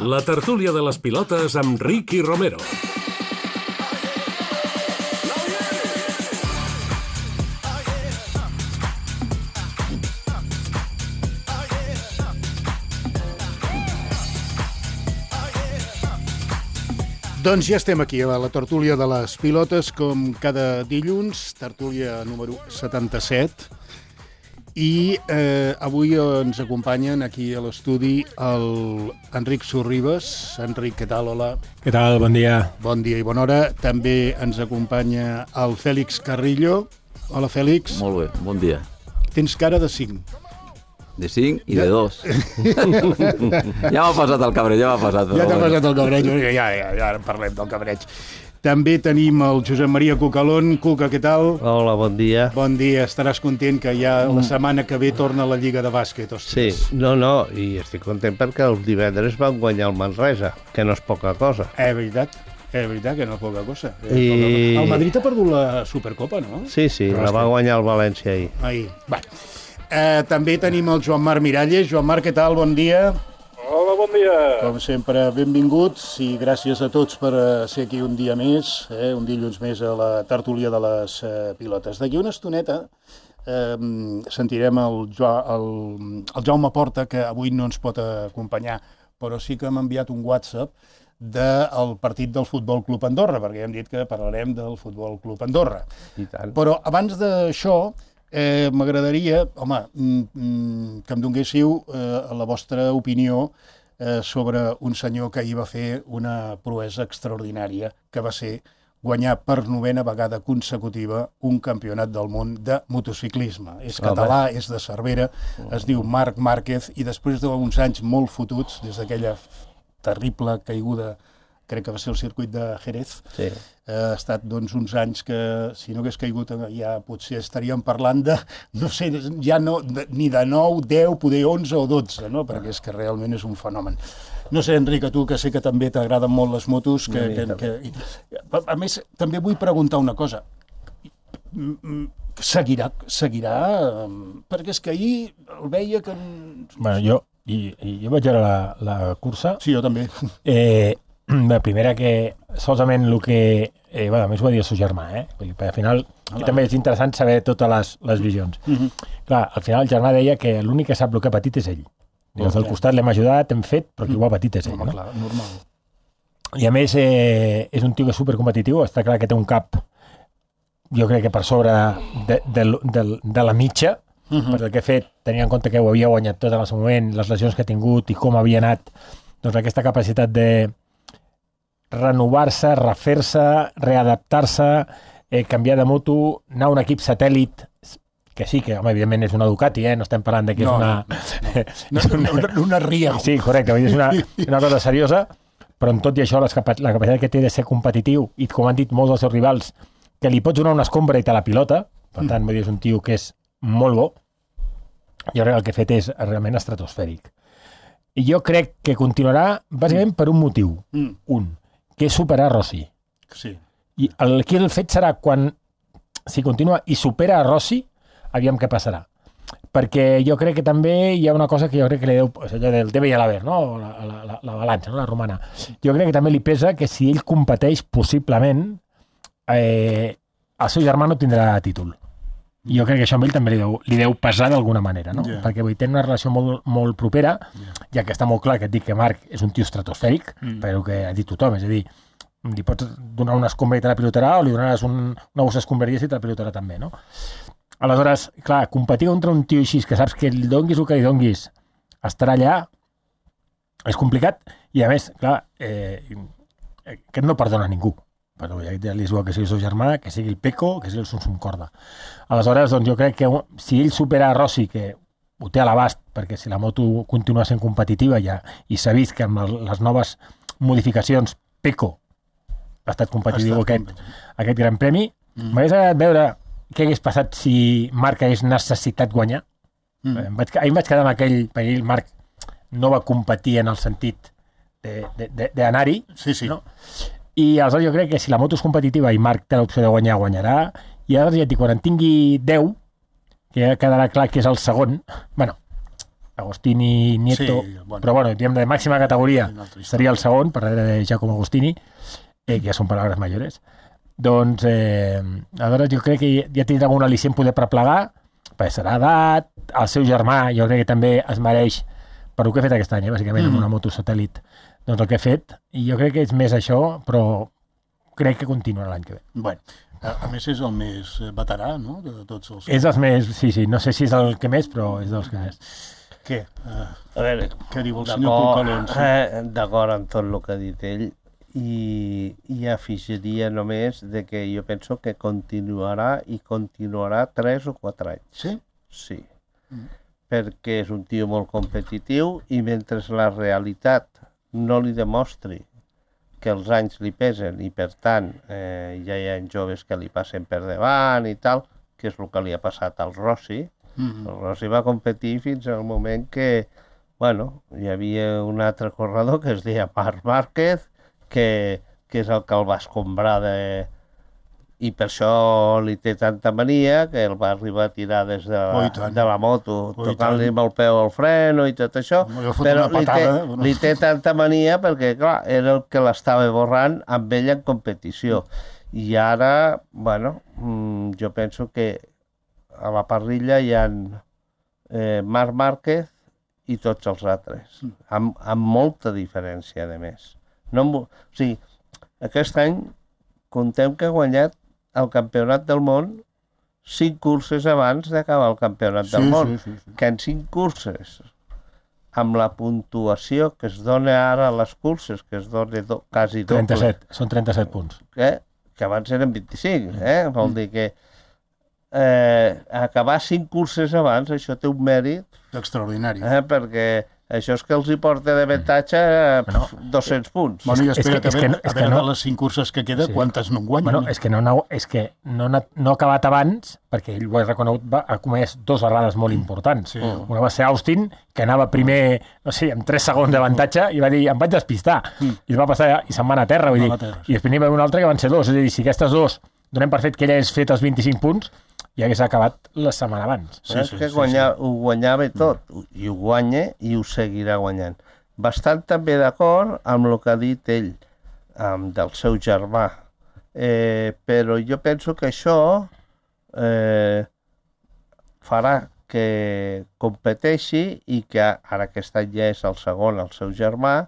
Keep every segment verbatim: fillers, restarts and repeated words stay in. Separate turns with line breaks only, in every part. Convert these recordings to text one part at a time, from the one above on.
La tertúlia de les pilotes amb Ricky Romero.
Doncs ja estem aquí, a la tertúlia de les pilotes, com cada dilluns, tertúlia número setanta-set. I eh, avui ens acompanyen aquí a l'estudi el Enric Sorribes. Enric, què tal? Hola.
Què tal? Bon dia.
Bon dia i bona hora. També ens acompanya el Fèlix Carrillo. Hola, Fèlix.
Molt bé, bon dia.
Tens cara de cinc.
De cinc i de dos. Ja m'ha passat el cabreig, ja m'ha passat.
Ja t'ha passat el cabreig, ja, ja, ja parlem del cabreig. També tenim el Josep Maria Cucalón. Cuca, què tal?
Hola, bon dia.
Bon dia, estaràs content que ja la setmana que ve torna la Lliga de Bàsquet. Ostres.
Sí, no, no, i estic content perquè els divendres van guanyar el Manresa, que no és poca cosa.
És veritat, és veritat que no és poca cosa.
I...
El Madrid ha perdut la Supercopa, no?
Sí, sí, Però la va guanyar el València ahir.
Ahir, va. Eh, també tenim el Joan Marc Miralles. Joan Marc, què tal? Bon dia.
Hola, bon dia.
Com sempre, benvinguts i gràcies a tots per ser aquí un dia més, eh, un dilluns més a la tertúlia de les eh, pilotes. D'aquí una estoneta eh, sentirem el, jo, el, el Jaume Porta, que avui no ens pot acompanyar, però sí que m'ha enviat un WhatsApp del partit del Futbol Club Andorra, perquè hem dit que parlarem del Futbol Club Andorra.
I tant.
Però abans d'això, Eh, m'agradaria, home, mm, que em donguéssiu eh, la vostra opinió eh, sobre un senyor que ahir va fer una proesa extraordinària, que va ser guanyar per novena vegada consecutiva un campionat del món de motociclisme. És català, és de Cervera, es diu Marc Márquez, i després d'uns anys molt fotuts, des d'aquella terrible caiguda, crec que va ser el circuit de Jerez,
sí.
eh, ha estat doncs, uns anys que, si no hagués caigut, ja potser estaríem parlant de, no sé, ja no, de, ni de nou, deu, poder onze o dotze, no? Perquè és que realment és un fenomen. No sé, Enric, a tu, que sé que també t'agraden molt les motos, que, que, que, que, a més, també vull preguntar una cosa. Seguirà, seguirà, perquè és que ahir el veia que...
Bueno, jo, i, i jo vaig veure la, la cursa.
Sí, jo també.
Eh, la primera que, solament el que... Eh, bueno, a més ho va dir el seu germà, eh? Perquè al final ah, també és interessant saber totes les, les visions. Uh-huh. Clar, al final el germà deia que l'únic que sap el que ha patit és ell. Des del costat l'hem ajudat, hem fet, però qui ho ha patit és ell.
Home,
no?
Clar, normal.
I a més eh, és un tio que és supercompetitiu, està clar que té un cap, jo crec que per sobre de, de, de, de la mitja, uh-huh. per el que ha fet, tenint en compte que ho havia guanyat tot en el seu moment, les lesions que ha tingut i com havia anat, doncs aquesta capacitat de renovar-se, refer-se, readaptar-se, eh, canviar de moto, anar a un equip satèl·lit, que sí, que home, evidentment és una Ducati, eh? No estem parlant de que
no,
és una...
No, no, no, una, una Rio.
Sí, correcte, és una, una cosa seriosa, però en tot i això les capa la capacitat que té de ser competitiu, i com han dit molts dels seus rivals, que li pots donar una escombra i te la pilota, per tant, mm. és un tio que és molt bo, jo crec que el que ha fet és realment estratosfèric. I jo crec que continuarà bàsicament per un motiu, mm. un, que és superar Rossi.
Sí.
I el, aquí el fet serà quan, si continua i supera a Rossi, aviam què passarà. Perquè jo crec que també hi ha una cosa que jo crec que li deu, allò del debe i l'haver, no? La, la, la, la balança, no? La romana. Jo crec que també li pesa que si ell competeix possiblement, eh, el seu germà no tindrà títol. I jo crec que això amb ell també li deu, li deu pesar d'alguna manera, no? Yeah. Perquè vull tenir una relació molt, molt propera, yeah. ja que està molt clar que et dic que Marc és un tio estratosfèric, mm. però que ha dit tothom, és a dir, li pots donar una escombra i te la pilotarà, o li donaràs un, una bossa escombraries i te la pilotarà també, no? Aleshores, clar, competir contra un tio així, que saps que li donguis el que li donguis, estarà allà, és complicat, i a més, clar, eh, aquest no perdona ningú. Però ja li és bo que sigui el seu germà, que sigui el Peco, que sigui el Sum Corda. Aleshores, doncs jo crec que si ell supera a Rossi, que ho té a l'abast, perquè si la moto continua sent competitiva ja, i s'ha vist que amb les noves modificacions Peco ha estat competitiu ha estat aquest, aquest gran premi, mm. m'hagués agradat veure què hagués passat si Marc hagués necessitat guanyar. Mm. Em vaig, ahir em vaig quedar amb aquell, perquè el Marc no va competir en el sentit d'anar-hi,
sí, sí.
no? I aleshores jo crec que si la moto és competitiva i Marc té l'opció de guanyar, guanyarà, i aleshores ja et dic, quan en tingui deu, que ja quedarà clar que és el segon, bueno, Agostini, Nieto,
Sí, bueno.
però bueno, diguem de màxima categoria
Una altra història.
seria el segon, per darrere de Giacomo Agostini, eh, que ja són paraules majores. Doncs, eh, aleshores jo crec que ja tindrà un al·licient poder per plegar, perquè serà edat, el seu germà jo crec que també es mereix, per el que ha fet aquest any, eh, bàsicament,
Mm.
amb una moto satèl·lit, doncs el que ha fet, i jo crec que és més això, però crec que continuarà l'any que ve.
Bueno, a, a més és el més eh, veterà, no?, de tots els...
És dels més, sí, sí, no sé si és el que més, però és dels que més.
Què? Uh,
A veure,
què diu el senyor
d'acord
Colcalons?
eh, d'acord amb tot el que ha dit ell, i, i afegiria només de que jo penso que continuarà i continuarà tres o quatre anys.
Sí?
Sí.
Mm.
Perquè és un tio molt competitiu i mentre la realitat no li demostri que els anys li pesen i per tant eh, ja hi ha joves que li passen per davant i tal, que és el que li ha passat al Rossi.
Mm.
El Rossi va competir fins al moment que, bueno, hi havia un altre corredor que es deia Marc Márquez, que, que és el que el va escombrar de... i per això li té tanta mania que el va arribar a tirar des de
Oh,
la,
i tant.
de la moto,
Oh, i
tocant-li
tant.
amb el peu al freno i tot això,
Li va fotre
però
una
li té,
patada, bueno.
li té tanta mania perquè, clar, era el que l'estava borrant amb ell en competició. I ara, bueno, mm, jo penso que a la parrilla hi ha eh, Marc Márquez i tots els altres, amb, amb molta diferència, de més. No, em vo- o sigui, aquest any contem que ha guanyat el campionat del món cinc curses abans d'acabar el campionat del
Sí,
món.
sí, sí, sí.
Que en cinc curses, amb la puntuació que es dona ara a les curses, que es dona do, quasi doble,
trenta-set, són trenta-set punts.
eh? Que abans eren vint-i-cinc, eh? Vol dir que eh, acabar cinc curses abans, això té un mèrit,
Extraordinari.
eh? Perquè això és que els hi porta d'avantatge eh,
Bueno,
dos-cents punts.
Bueno, i
és que-
espera't,
és
a
que
veure,
no- és
a
que
veure
no-
de les cinc curses que queda,
Sí.
quantes no en guanyen?
Bueno, és que no, no, és que no, n'ha- no ha acabat abans, perquè ell ho ha reconegut, va, ha comès dos errades molt importants.
Sí.
Una va ser Austin, que anava primer, no sé, amb tres segons d'avantatge, i va dir, em vaig despistar. I es va passar, i se'n va anar a terra, vull
Va
dir.
anar a terra, sí.
I després n'hi va haver un altre que van ser dos. És a dir, si aquestes dos donem per fet que ell hagués fet els vint-i-cinc punts, ja hagués acabat la setmana abans.
Sí,
Sí,
sí,
que
sí,
guanyar, ho guanyava tot, i ho guanya i ho seguirà guanyant. Bastant també d'acord amb el que ha dit ell, amb del seu germà. Eh, però jo penso que això eh, farà que competeixi i que ara aquest any ja és el segon, el seu germà,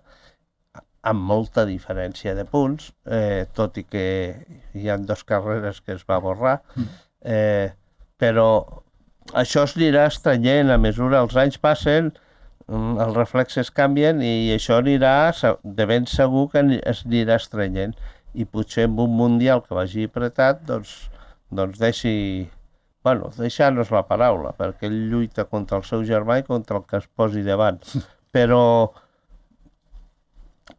amb molta diferència de punts, eh, tot i que hi ha dues carreres que es va borrar, eh, però això es anirà estrenyent a mesura els anys passen, mm, els reflexes canvien i això anirà, se- de ben segur que ani- es anirà estrenyent, i potser amb un mundial que vagi apretat, doncs, doncs deixi... Bueno, deixar-nos la paraula, perquè ell lluita contra el seu germà i contra el que es posi davant. Però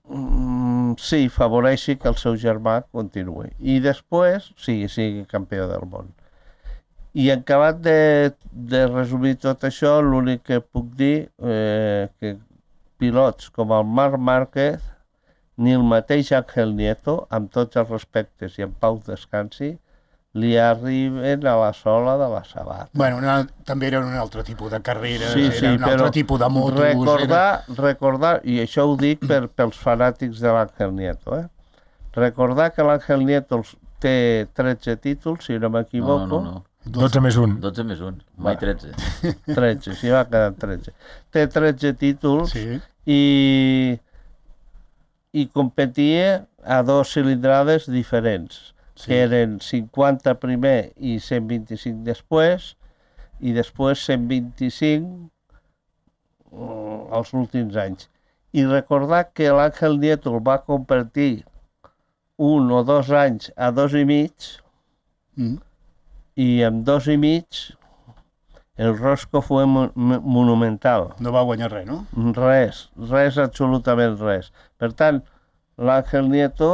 mm, sí, favoreixi que el seu germà continuï. I després, sigui, sigui campió del món. I en acabat de, de resumir tot això, l'únic que puc dir eh, que pilots com el Marc Márquez ni el mateix Ángel Nieto, amb tots els respectes i en pau descansi, li arriben a la sola de la sabata.
Bueno, una, també era un altre tipus de carrera,
Sí,
era
sí,
un altre
però
tipus de motos...
recordar, recordar, i això ho dic per, pels fanàtics de l'Ángel Nieto, eh? Recordar que l'Ángel Nieto els- té tretze títols, si no
No,
m'equivoco,
no, no.
dotze més un.
dotze més un, mai tretze.
tretze, si va quedar tretze. Té tretze títols
Sí,
i, i competia a dos cilindrades diferents,
sí.
que eren cinquanta primer i cent vint-i-cinc després, i després cent vint-i-cinc mm, els últims anys. I recordar que l'Àngel Nieto el va competir un o dos anys a dos i mig,
Mm.
i en dos i mig el Rosco fue mo monumental.
No va guanyar res, no?
Res, res, absolutament res. Per tant, l'Àngel Nieto,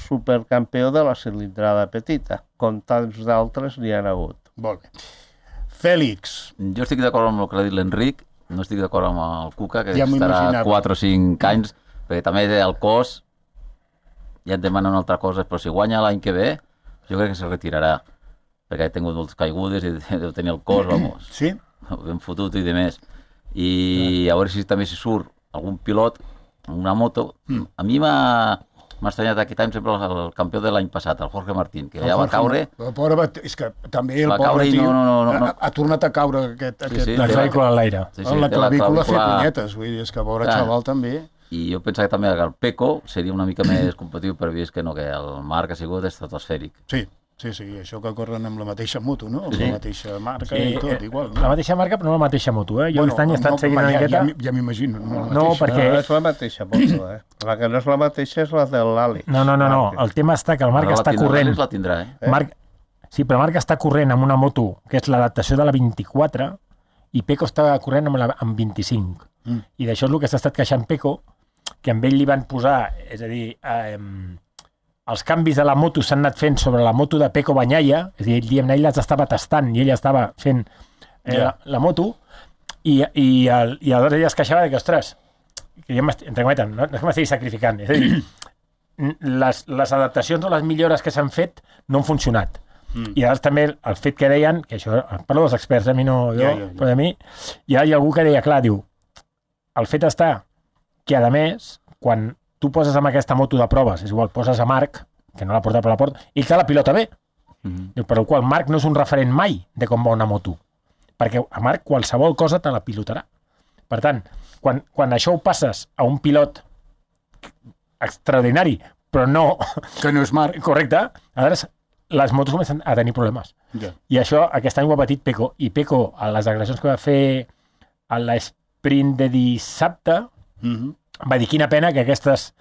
supercampió de la cilindrada petita, com tants d'altres n'hi han hagut.
Molt bé. Fèlix,
Jo estic d'acord amb el que ha dit l'Enric, no estic d'acord amb el Cuca, que
Ja m'ho
estarà
imaginava.
quatre o cinc anys, perquè també el cos ja et demana una altra cosa, però si guanya l'any que ve, jo crec que se retirarà, perquè ha tingut moltes caigudes i deu tenir el cos, vamos,
sí?
ben fotut i de més. i a veure si també si surt algun pilot amb una moto. Mm. A mi m'ha... M'ha estranyat aquest any sempre el, el campió de l'any passat, el Jorge Martín, que el ja va caure...
El pobre, és que també el
va
pobre tio
no, no, no, no.
Ha, ha tornat a caure aquest...
Sí,
aquest
sí,
la clavícula a l'aire.
Sí, sí,
la clavícula a fer
clavícula...
punyetes, vull dir, és que pobre
Clar.
xaval també...
I jo pensava que també el Peco seria una mica més competitiu, però he vist que no, que el Marc ha sigut estratosfèric.
Sí, sí, sí, això que corren amb la mateixa moto, no? Amb
Sí.
la mateixa marca
Sí,
i tot, igual. No?
La mateixa marca, però no la mateixa moto, eh? Jo aquest any he estat seguint una
ja,
miqueta...
Ja, ja m'imagino. No, la
No,
mateixa.
perquè-
No, és la mateixa moto, eh? La que no és la mateixa és la de l'Àlex.
No, no, no, no. El tema està que el Marc
Ara la
està
tindrà,
corrent...
l'Àlex la tindrà, eh?
Marc... Sí, però Marc està corrent amb una moto que és l'adaptació de la vint-i-quatre i Peco està corrent amb, la, amb vint-i-cinc.
Mm.
I d'això és el que s'ha estat queixant Peco, que amb ell li van posar, és a dir, eh, els canvis de la moto s'han anat fent sobre la moto de Peco Bagnaia, és a dir, ell, ell les estava tastant i ell estava fent eh,
Ja.
la, la moto, i, i, el, i aleshores ella es queixava de que, ostres, que jo m'estic, entre cometes, no, no és que m'estigui sacrificant, és a dir, les, les adaptacions o les millores que s'han fet no han funcionat. Mm. I llavors també el fet que deien, que això, parlo dels experts, a mi no, jo,
Ja, ja, ja.
però a mi, hi ha algú que deia, clar, diu, el fet està que, a més, quan tu poses amb aquesta moto de proves, és igual, poses a Marc, que no l'ha portat per la porta, i que la pilota bé.
Mm-hmm.
Diu, per el qual Marc no és un referent mai de com va una moto, perquè a Marc qualsevol cosa te la pilotarà. Per tant, quan, quan això ho passes a un pilot extraordinari, però no
Que no és Marc.
correcte, aleshores les motos comencen a tenir problemes.
Ja.
I això aquest any ho ha patit Peco. I Peco, a les declaracions que va fer a l'esprint de dissabte,
Mm-hmm.
va dir quina pena que aquestes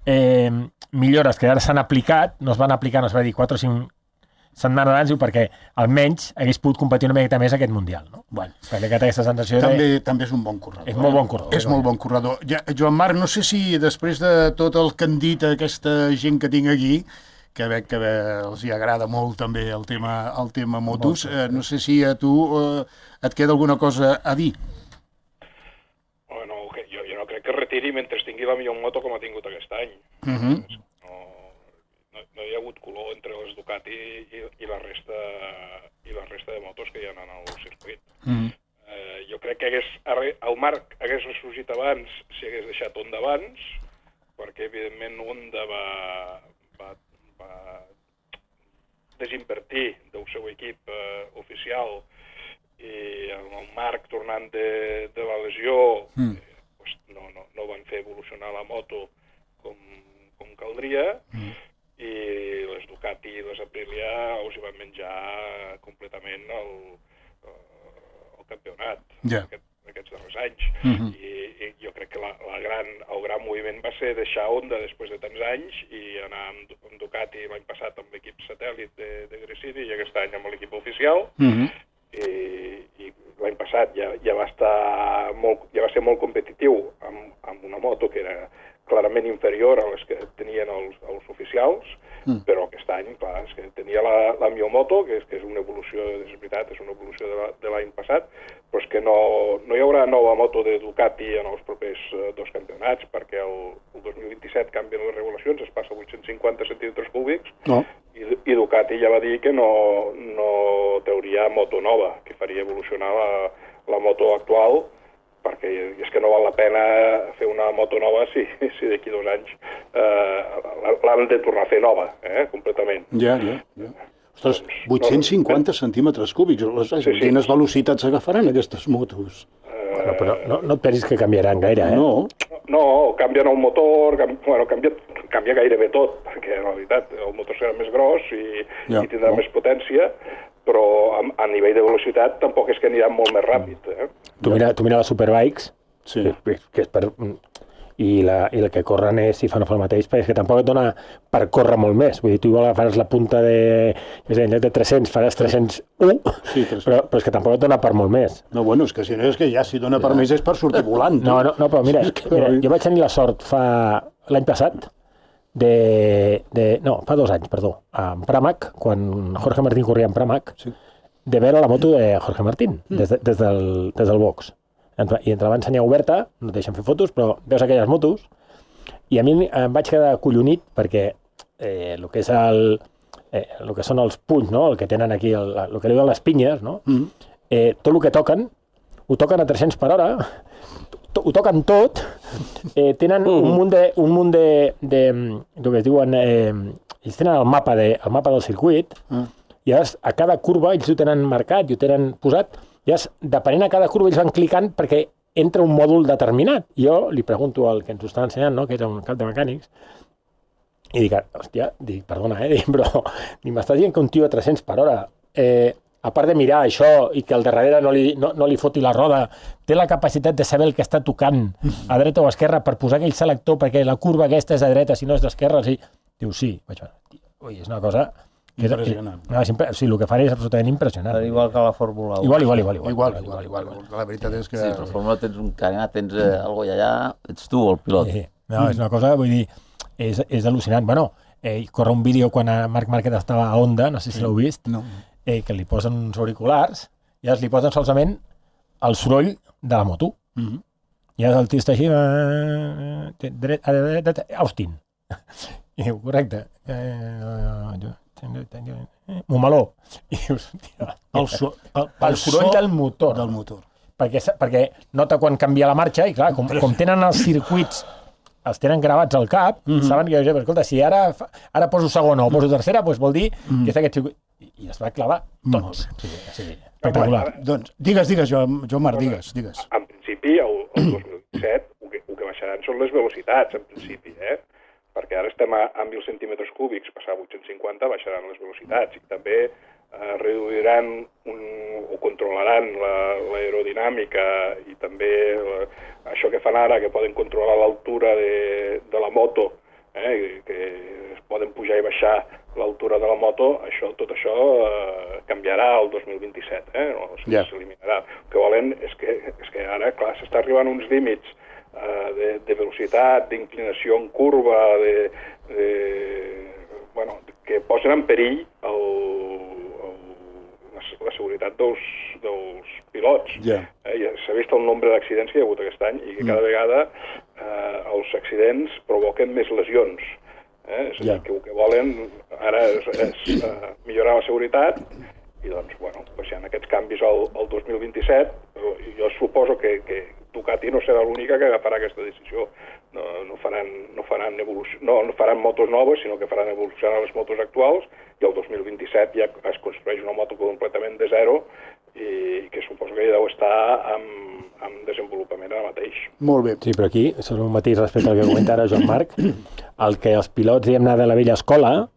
eh, millores que ara s'han aplicat no es van aplicar, no es va dir quatre o cinc setmanes abans, diu, perquè almenys hagués pogut competir una miqueta més aquest Mundial. No?
Bueno.
Perquè té aquesta sensació
També,
de...
també és un bon corredor.
És molt bon corredor.
És molt bon corredor. Ja, Joan Marc, no sé si després de tot el que han dit aquesta gent que tinc aquí, que veig que els hi agrada molt també el tema, el tema motos, eh, no sé si a tu eh, et queda alguna cosa a dir.
Bueno, que jo, jo no crec que retiri mentre tingui la millor moto com ha tingut aquest any.
Uh -huh.
no, no, no hi ha hagut color entre les Ducati i, i, la resta, i la resta de motos que hi ha en el circuit.
Uh -huh.
eh, jo crec que hagués, el Marc hagués ressorgit abans si hagués deixat Honda abans, perquè evidentment Honda va, va, va desinvertir del seu equip eh, oficial, i el Marc tornant de, de la lesió mm. eh, pues no, no, no van fer evolucionar la moto com, com caldria, mm. i les Ducati i les Aprilia us hi van menjar completament el, el campionat
yeah.
aquest, aquests darrers anys.
Mm-hmm.
I, i jo crec que la, la gran, el gran moviment va ser deixar Honda després de tants anys i anar amb, amb Ducati l'any passat amb l'equip satèl·lit de, de Gresini i aquest any amb l'equip oficial.
Mm-hmm.
i, i l'any passat ja, ja, va estar molt, ja va ser molt competitiu amb, amb una moto que era clarament inferior a les que tenien els, els oficials, mm. però aquest any, clar, és que tenia la, la Mio Moto, que és, que és una evolució, és veritat, és una evolució de l'any passat, però és que no, no hi haurà nova moto de Ducati en els propers eh, dos campionats, perquè el, el dos mil vint-i-set canvien les regulacions, es passa a vuit-cents cinquanta centímetres cúbics,
No.
i, i Ducati ja va dir que no, no trauria moto nova, que faria evolucionar la, la moto actual, perquè és que no val la pena fer una moto nova si, si d'aquí dos anys eh, l'han de tornar a fer nova, eh, completament.
Ja, ja, ja. Ostres, vuit-cents cinquanta centímetres cúbics. Sí, sí. Quines velocitats agafaran aquestes motos?
Bueno, però no, no et pensis que canviaran gaire, eh?
No.
No, canvien el motor, canvi, bueno, canvia, canvia gairebé tot, perquè en realitat el motor serà més gros i,
ja,
i tindrà
no.
més potència, però a, a nivell de velocitat tampoc és que aniran molt més ràpid. Eh?
Tu mira, tu mira les Superbikes,
Sí.
que, que és per... I la, i la que corren és, si fan el mateix, perquè és que tampoc et dona per córrer molt més. Vull dir, tu igual faràs la punta de... És a dir, en lloc de tres-cents faràs tres cents u,
Sí, tres-cents.
però, però és que tampoc et dona per molt més.
No, bueno, és que si no és que ja si dona per més és per sortir volant.
No, no, no, però mira, mira, jo vaig tenir la sort fa l'any passat de, de... No, fa dos anys, perdó, en Pramac, quan Jorge Martín corria en Pramac,
Sí.
de veure la moto de Jorge Martín, des, de, des, del, des del box. I ens la va ensenyar oberta, no et deixen fer fotos, però veus aquelles motos, i a mi em vaig quedar collonit perquè eh, el que és el, eh, el que són els punys, no? El que tenen aquí, el, el que li diuen les pinyes, no?
Mm.
Eh, tot el que toquen ho ho toquen a tres-cents per hora, to, ho toquen tot, eh, tenen un munt de, un munt de, de, de que es diuen, eh, ells tenen el mapa, de, el mapa del circuit, mm. i llavors a cada curva ells ho tenen marcat i ho tenen posat, i llavors, depenent a cada curva ells van clicant perquè entra un mòdul determinat. Jo li pregunto al que ens ho està ensenyant, no? Que és un cap de mecànics, i dic, hòstia, dic, perdona, eh, dic, però ni m'estàs dient que un tio a tres-cents per hora, eh, a part de mirar això i que al darrere no li, no, no li foti la roda, té la capacitat de saber el que està tocant a dreta o a esquerra per posar aquell selector perquè la curva aquesta és a dreta, si no és d'esquerra, sí. Diu, sí. Vaig, ui, és una cosa...
Impressionant.
No, és, sí, el que faré és absolutament impressionant.
Però igual que la Fórmula un.
Igual, igual, igual. Igual,
igual, igual, igual, igual. La veritat és que...
Sí, però la Fórmula tens un carenat, tens eh, algo i allà, ets tu el pilot.
Sí, no, és una cosa, vull dir, és, és al·lucinant. Bueno, eh, corre un vídeo quan Marc Márquez estava a Honda, no sé si l'heu vist,
No.
eh, que li posen uns auriculars i els li posen solament el soroll de la moto.
Mhm.
I ara el tio està així, eh, dret, dret, dret, Austin. I diu, correcte. Eh, Montmeló. I dius, tia,
El, so, el,
el soroll
so
del motor.
del motor.
Perquè, perquè nota quan canvia la marxa i, clar, com, com tenen els circuits, els tenen gravats al cap, mm -hmm. saben que, escolta, si ara, ara poso segona o poso tercera, doncs vol dir mm -hmm. que és aquest circuit. I, i es va clavar tot.
Molt bé.
Sí, sí, espectacular.
Bueno, doncs, digues, digues, Joan, Joan Marc, digues, digues.
En principi, el, el dos mil disset, el que, el que baixaran són les velocitats, en principi, eh? Perquè ara estem a, a mil centímetres cúbics, passar a vuit-cents cinquanta baixaran les velocitats i també eh, reduiran un, o controlaran l'aerodinàmica i també la, això que fan ara, que poden controlar l'altura de, de la moto, eh, que es poden pujar i baixar l'altura de la moto, això, tot això eh, canviarà el dos mil vint-i-set, eh? No, s'eliminarà. El que volen és que, és que ara, clar, s'està arribant a uns límits Uh, de, de velocitat, d'inclinació en curva, de, de, bueno, que posen en perill el, el, la, la seguretat dels, dels pilots.
Yeah.
Eh, ja s'ha vist el nombre d'accidents que hi ha hagut aquest any i que cada vegada eh, els accidents provoquen més lesions. Eh? És a dir,
Yeah.
que el que volen ara és, és uh, millorar la seguretat i doncs, bueno, pues hi ha aquests canvis al, al dos mil vint-i-set. Jo suposo que, que Ducati no serà l'única que agafarà aquesta decisió. No, no, faran, no, faran evolució, no, no faran motos noves, sinó que faran evolucionar les motos actuals i el dos mil vint-i-set ja es construeix una moto completament de zero i que suposo que ja deu estar en, en desenvolupament ara mateix.
Molt bé.
Sí, però aquí, sobre un matís respecte al que comenta ara Joan Marc, el que els pilots, diguem-ne, de la vella escola,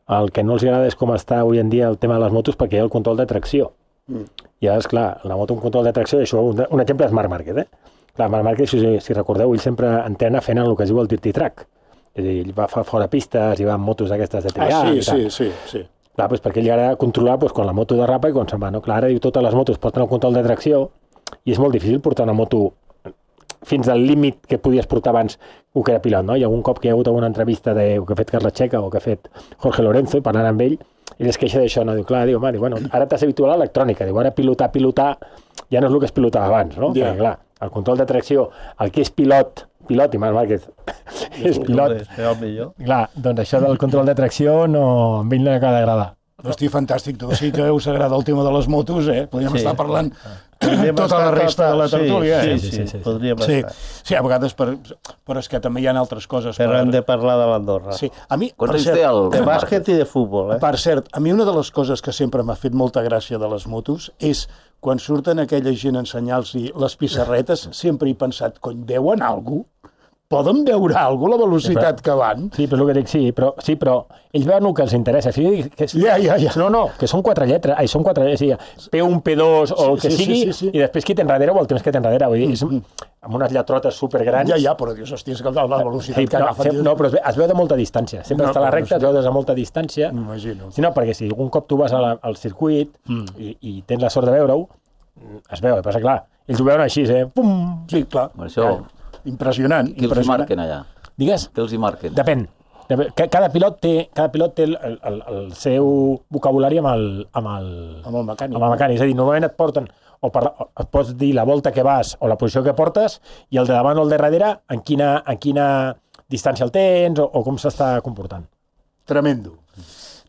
el que no els agrada és com està avui en dia el tema de les motos perquè hi ha el control de tracció. Mm. I ara, esclar, la moto amb control de tracció, això, un, un exemple és Marc Márquez, eh? Clar, Marc Márquez, si, si recordeu, ell sempre entrena fent el que es diu el dirty track. És a dir, ell va fora pistes i va amb motos d'aquestes de triar.
Ah, sí,
i tal.
sí, sí, sí.
Clar, doncs perquè ell li agrada controlar doncs, quan la moto derrapa i quan se'n va, no? Clar, ara diu, totes les motos porten el control de tracció i és molt difícil portar una moto fins al límit que podies portar abans un que era pilot, no? I algun cop que hi ha hagut alguna entrevista de, que ha fet Carles Checa o que ha fet Jorge Lorenzo, i parlant amb ell, ell es queixa d'això, no? Diu, clar, diu, home, diu, bueno, ara t'has habituat a l'electrònica, diu, ara pilotar, pilotar, ja no és el que es pilotava abans, no? Yeah. Perquè, clar, el control de tracció, el que és pilot, pilot, i Marc Márquez és pilot, clar, doncs això del control de tracció no, a ell no acaba d'agradar.
Hosti, fantàstic, tu sí que us agrada el tema de les motos, eh? Podríem sí. estar parlant
podríem
tota la resta
tota...
de la tertúlia.
Sí,
eh?
sí, sí, sí, sí. Podríem
sí.
estar.
Sí, a vegades, per, però és que també hi ha altres coses.
Però
per...
hem de parlar de l'Andorra.
Sí. A mi,
Quants
per
anys
cert,
té el...
De bàsquet i de futbol, eh?
Per cert, a mi una de les coses que sempre m'ha fet molta gràcia de les motos és quan surten aquella gent a ensenyar-los les pissarretes, sempre he pensat, cony, veuen alguna cosa? Poden veure alguna cosa, la velocitat
sí, però,
que van?
Sí, però és el que dic, sí, però, sí, però ells veuen el que els interessa. Sí, que és,
ja, ja, ja.
No, no, que són quatre lletres, ai, són quatre lletres, sí, P un, P dos o el que
sí,
sigui,
sí, sí, sí.
i després qui té enrere o el temps que té enrere. Vull dir, és amb unes lletrotes supergrans.
Ja, ja, però dius, hòstia, és que la velocitat
sí,
que
no,
agafen...
No, però es, ve, es veu de molta distància. Sempre no, està a la recta, es veu des de molta distància.
M'imagino.
Sí, no, perquè si algun cop tu vas a la, al circuit mm. i, i tens la sort de veure-ho, es veu, passa clar, ells ho veuen així, eh? Pum!
Sí, clar.
Per això...
Impressionant.
Qui els marquen allà?
Digues?
Què els hi marquen?
Depèn. Cada pilot té, cada pilot té el, el, el seu vocabulari amb el, amb el,
amb el mecànic.
Amb el mecànic. És a dir, normalment et porten, o, per, o et pots dir la volta que vas o la posició que portes, i el de davant o el de darrere, en quina, en quina distància el tens o, o com s'està comportant.
Tremendo.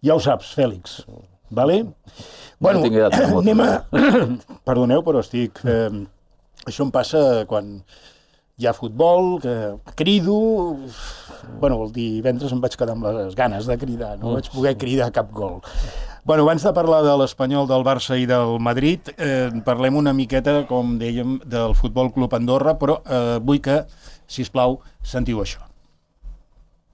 Ja ho saps, Fèlix. Vale?
Bueno, no
anem a... Perdoneu, però estic... Eh, Això em passa quan hi ha futbol, que crido... Bueno, el divendres em vaig quedar amb les ganes de cridar, no vaig poder cridar cap gol. Bueno, abans de parlar de l'Espanyol, del Barça i del Madrid, eh, parlem una miqueta, com dèiem, del Futbol Club Andorra, però eh, vull que, sisplau, sentiu això.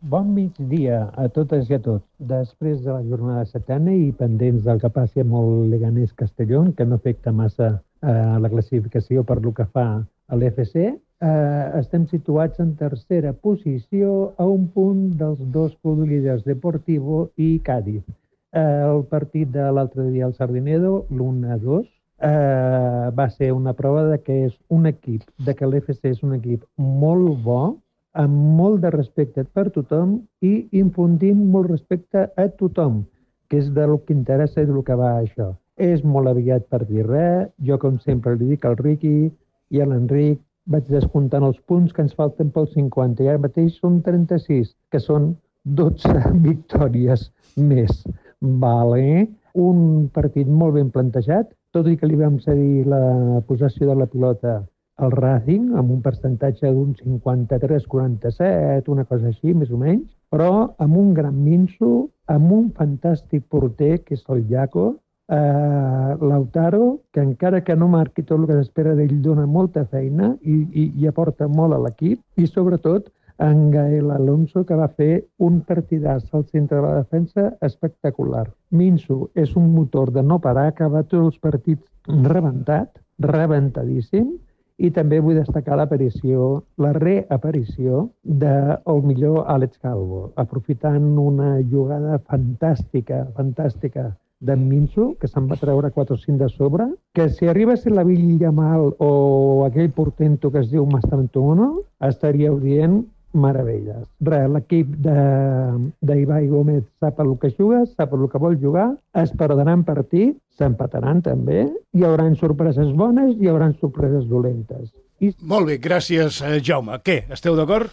Bon migdia a totes i a tots. Després de la jornada setena i pendents del que passi amb el Leganés Castellón, que no afecta massa eh, la classificació per lo que fa a l'F C, eh, estem situats en tercera posició a un punt dels dos líders Deportivo i Cádiz. Eh, el partit de l'altre dia al Sardinedo, l'u a dos, eh, va ser una prova de que és un equip, de que l'F C és un equip molt bo, amb molt de respecte per tothom i infundint molt respecte a tothom, que és del que interessa i del que va això. És molt aviat per dir res, jo com sempre li dic al Riqui i a l'Enric, vaig descomptant els punts que ens falten pel cinquanta, i ara mateix són trenta-sis, que són dotze victòries més. Vale. Un partit molt ben plantejat, tot i que li vam cedir la possessió de la pilota al Racing, amb un percentatge d'un cinquanta-tres quaranta-set, una cosa així, més o menys, però amb un gran minso, amb un fantàstic porter, que és el Jaco, eh, Lautaro, que encara que no marqui tot el que s'espera d'ell, dona molta feina i, i, i aporta molt a l'equip, i sobretot en Gael Alonso, que va fer un partidàs al centre de la defensa espectacular. Minso és un motor de no parar, que va tots els partits rebentat, rebentadíssim, i també vull destacar l'aparició, la reaparició del millor Àlex Calvo, aprofitant una jugada fantàstica, fantàstica d'en Minso, que se'n va treure quatre o cinc de sobre, que si arriba a ser la Villa Mal o aquell portento que es diu Mastantuono, estaríeu dient meravelles. Res, l'equip d'Ibai Gómez sap el que juga, sap el que vol jugar, es perdran partit, s'empataran també, hi haurà sorpreses bones i hi haurà sorpreses dolentes.
I... Molt bé, gràcies, Jaume. Què, esteu d'acord?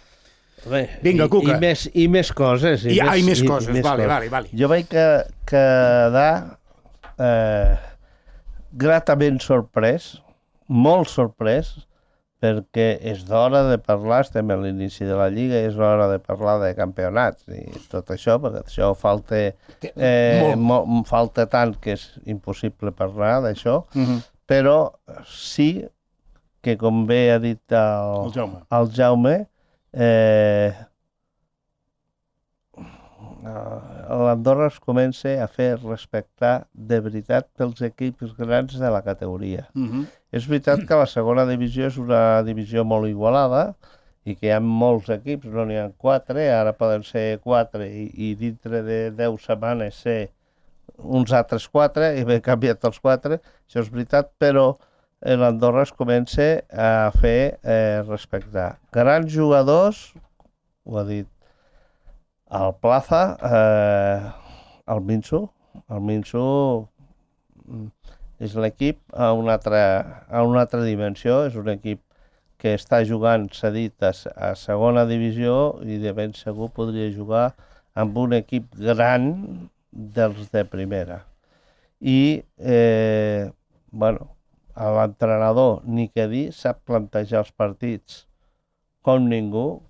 Bé,
Vinga, Cuca.
I, i, més, I més coses. I,
I,
més,
ah, i més
i,
coses,
i més
vale,
coses.
vale, vale.
Jo vaig que, quedar eh, gratament sorprès, molt sorprès, perquè és d'hora de parlar, estem a l'inici de la Lliga, és hora de parlar de campionats i tot això, perquè això falta, eh, mo, falta tant que és impossible parlar d'això, uh-huh. Però sí que, com bé ha dit el,
el Jaume,
el Jaume eh, l'Andorra es comença a fer respectar de veritat pels equips grans de la categoria. Uh-huh. És veritat que la segona divisió és una divisió molt igualada i que hi ha molts equips, no n'hi ha quatre, ara poden ser quatre i, i dintre de deu setmanes ser uns altres quatre i haver canviat els quatre, això és veritat, però l'Andorra es comença a fer eh, respectar. Grans jugadors, ho ha dit el Plaza, eh, el Minso, el Minso és l'equip a una altra, a una altra dimensió, és un equip que està jugant cedit a, a segona divisió i de ben segur podria jugar amb un equip gran dels de primera. I, eh, bueno, l'entrenador, ni què dir, sap plantejar els partits com ningú.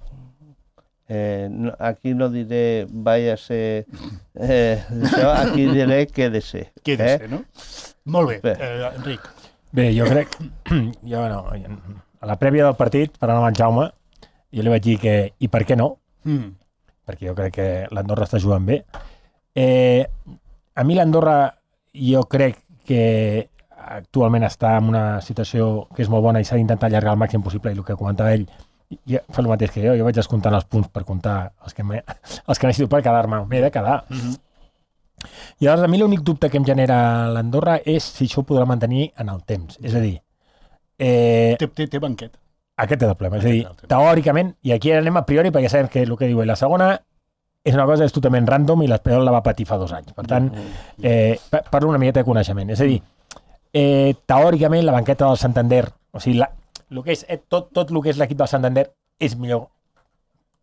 Eh, no, aquí no diré vaya a ser eh, això, aquí diré quédese.
Quédese, eh? No? Molt bé,
bé.
Eh, Enric.
Bé, jo crec... Jo, no, a la prèvia del partit, parlant amb en Jaume, jo li vaig dir que i per què no? Mm. Perquè jo crec que l'Andorra està jugant bé. Eh, a mi l'Andorra jo crec que actualment està en una situació que és molt bona i s'ha d'intentar allargar al màxim possible, i el que comentava ell ja fa el mateix que jo, jo vaig descomptant els punts per comptar els que, els que necessito per quedar-me, m'he de quedar. Mm-hmm. I llavors a mi l'únic dubte que em genera l'Andorra és si això ho podrà mantenir en el temps. És a dir... Eh,
té, té, té banquet.
Aquest és el problema. És a dir, teòricament, i aquí anem a priori perquè sabem que el que diu ell, la segona és una cosa és totalment random i l'Espanyol la va patir fa dos anys. Per tant, eh, parlo una miqueta de coneixement. És a dir, eh, teòricament la banqueta del Santander, o sigui, la, el que és, eh, tot, tot el que és l'equip del Santander és millor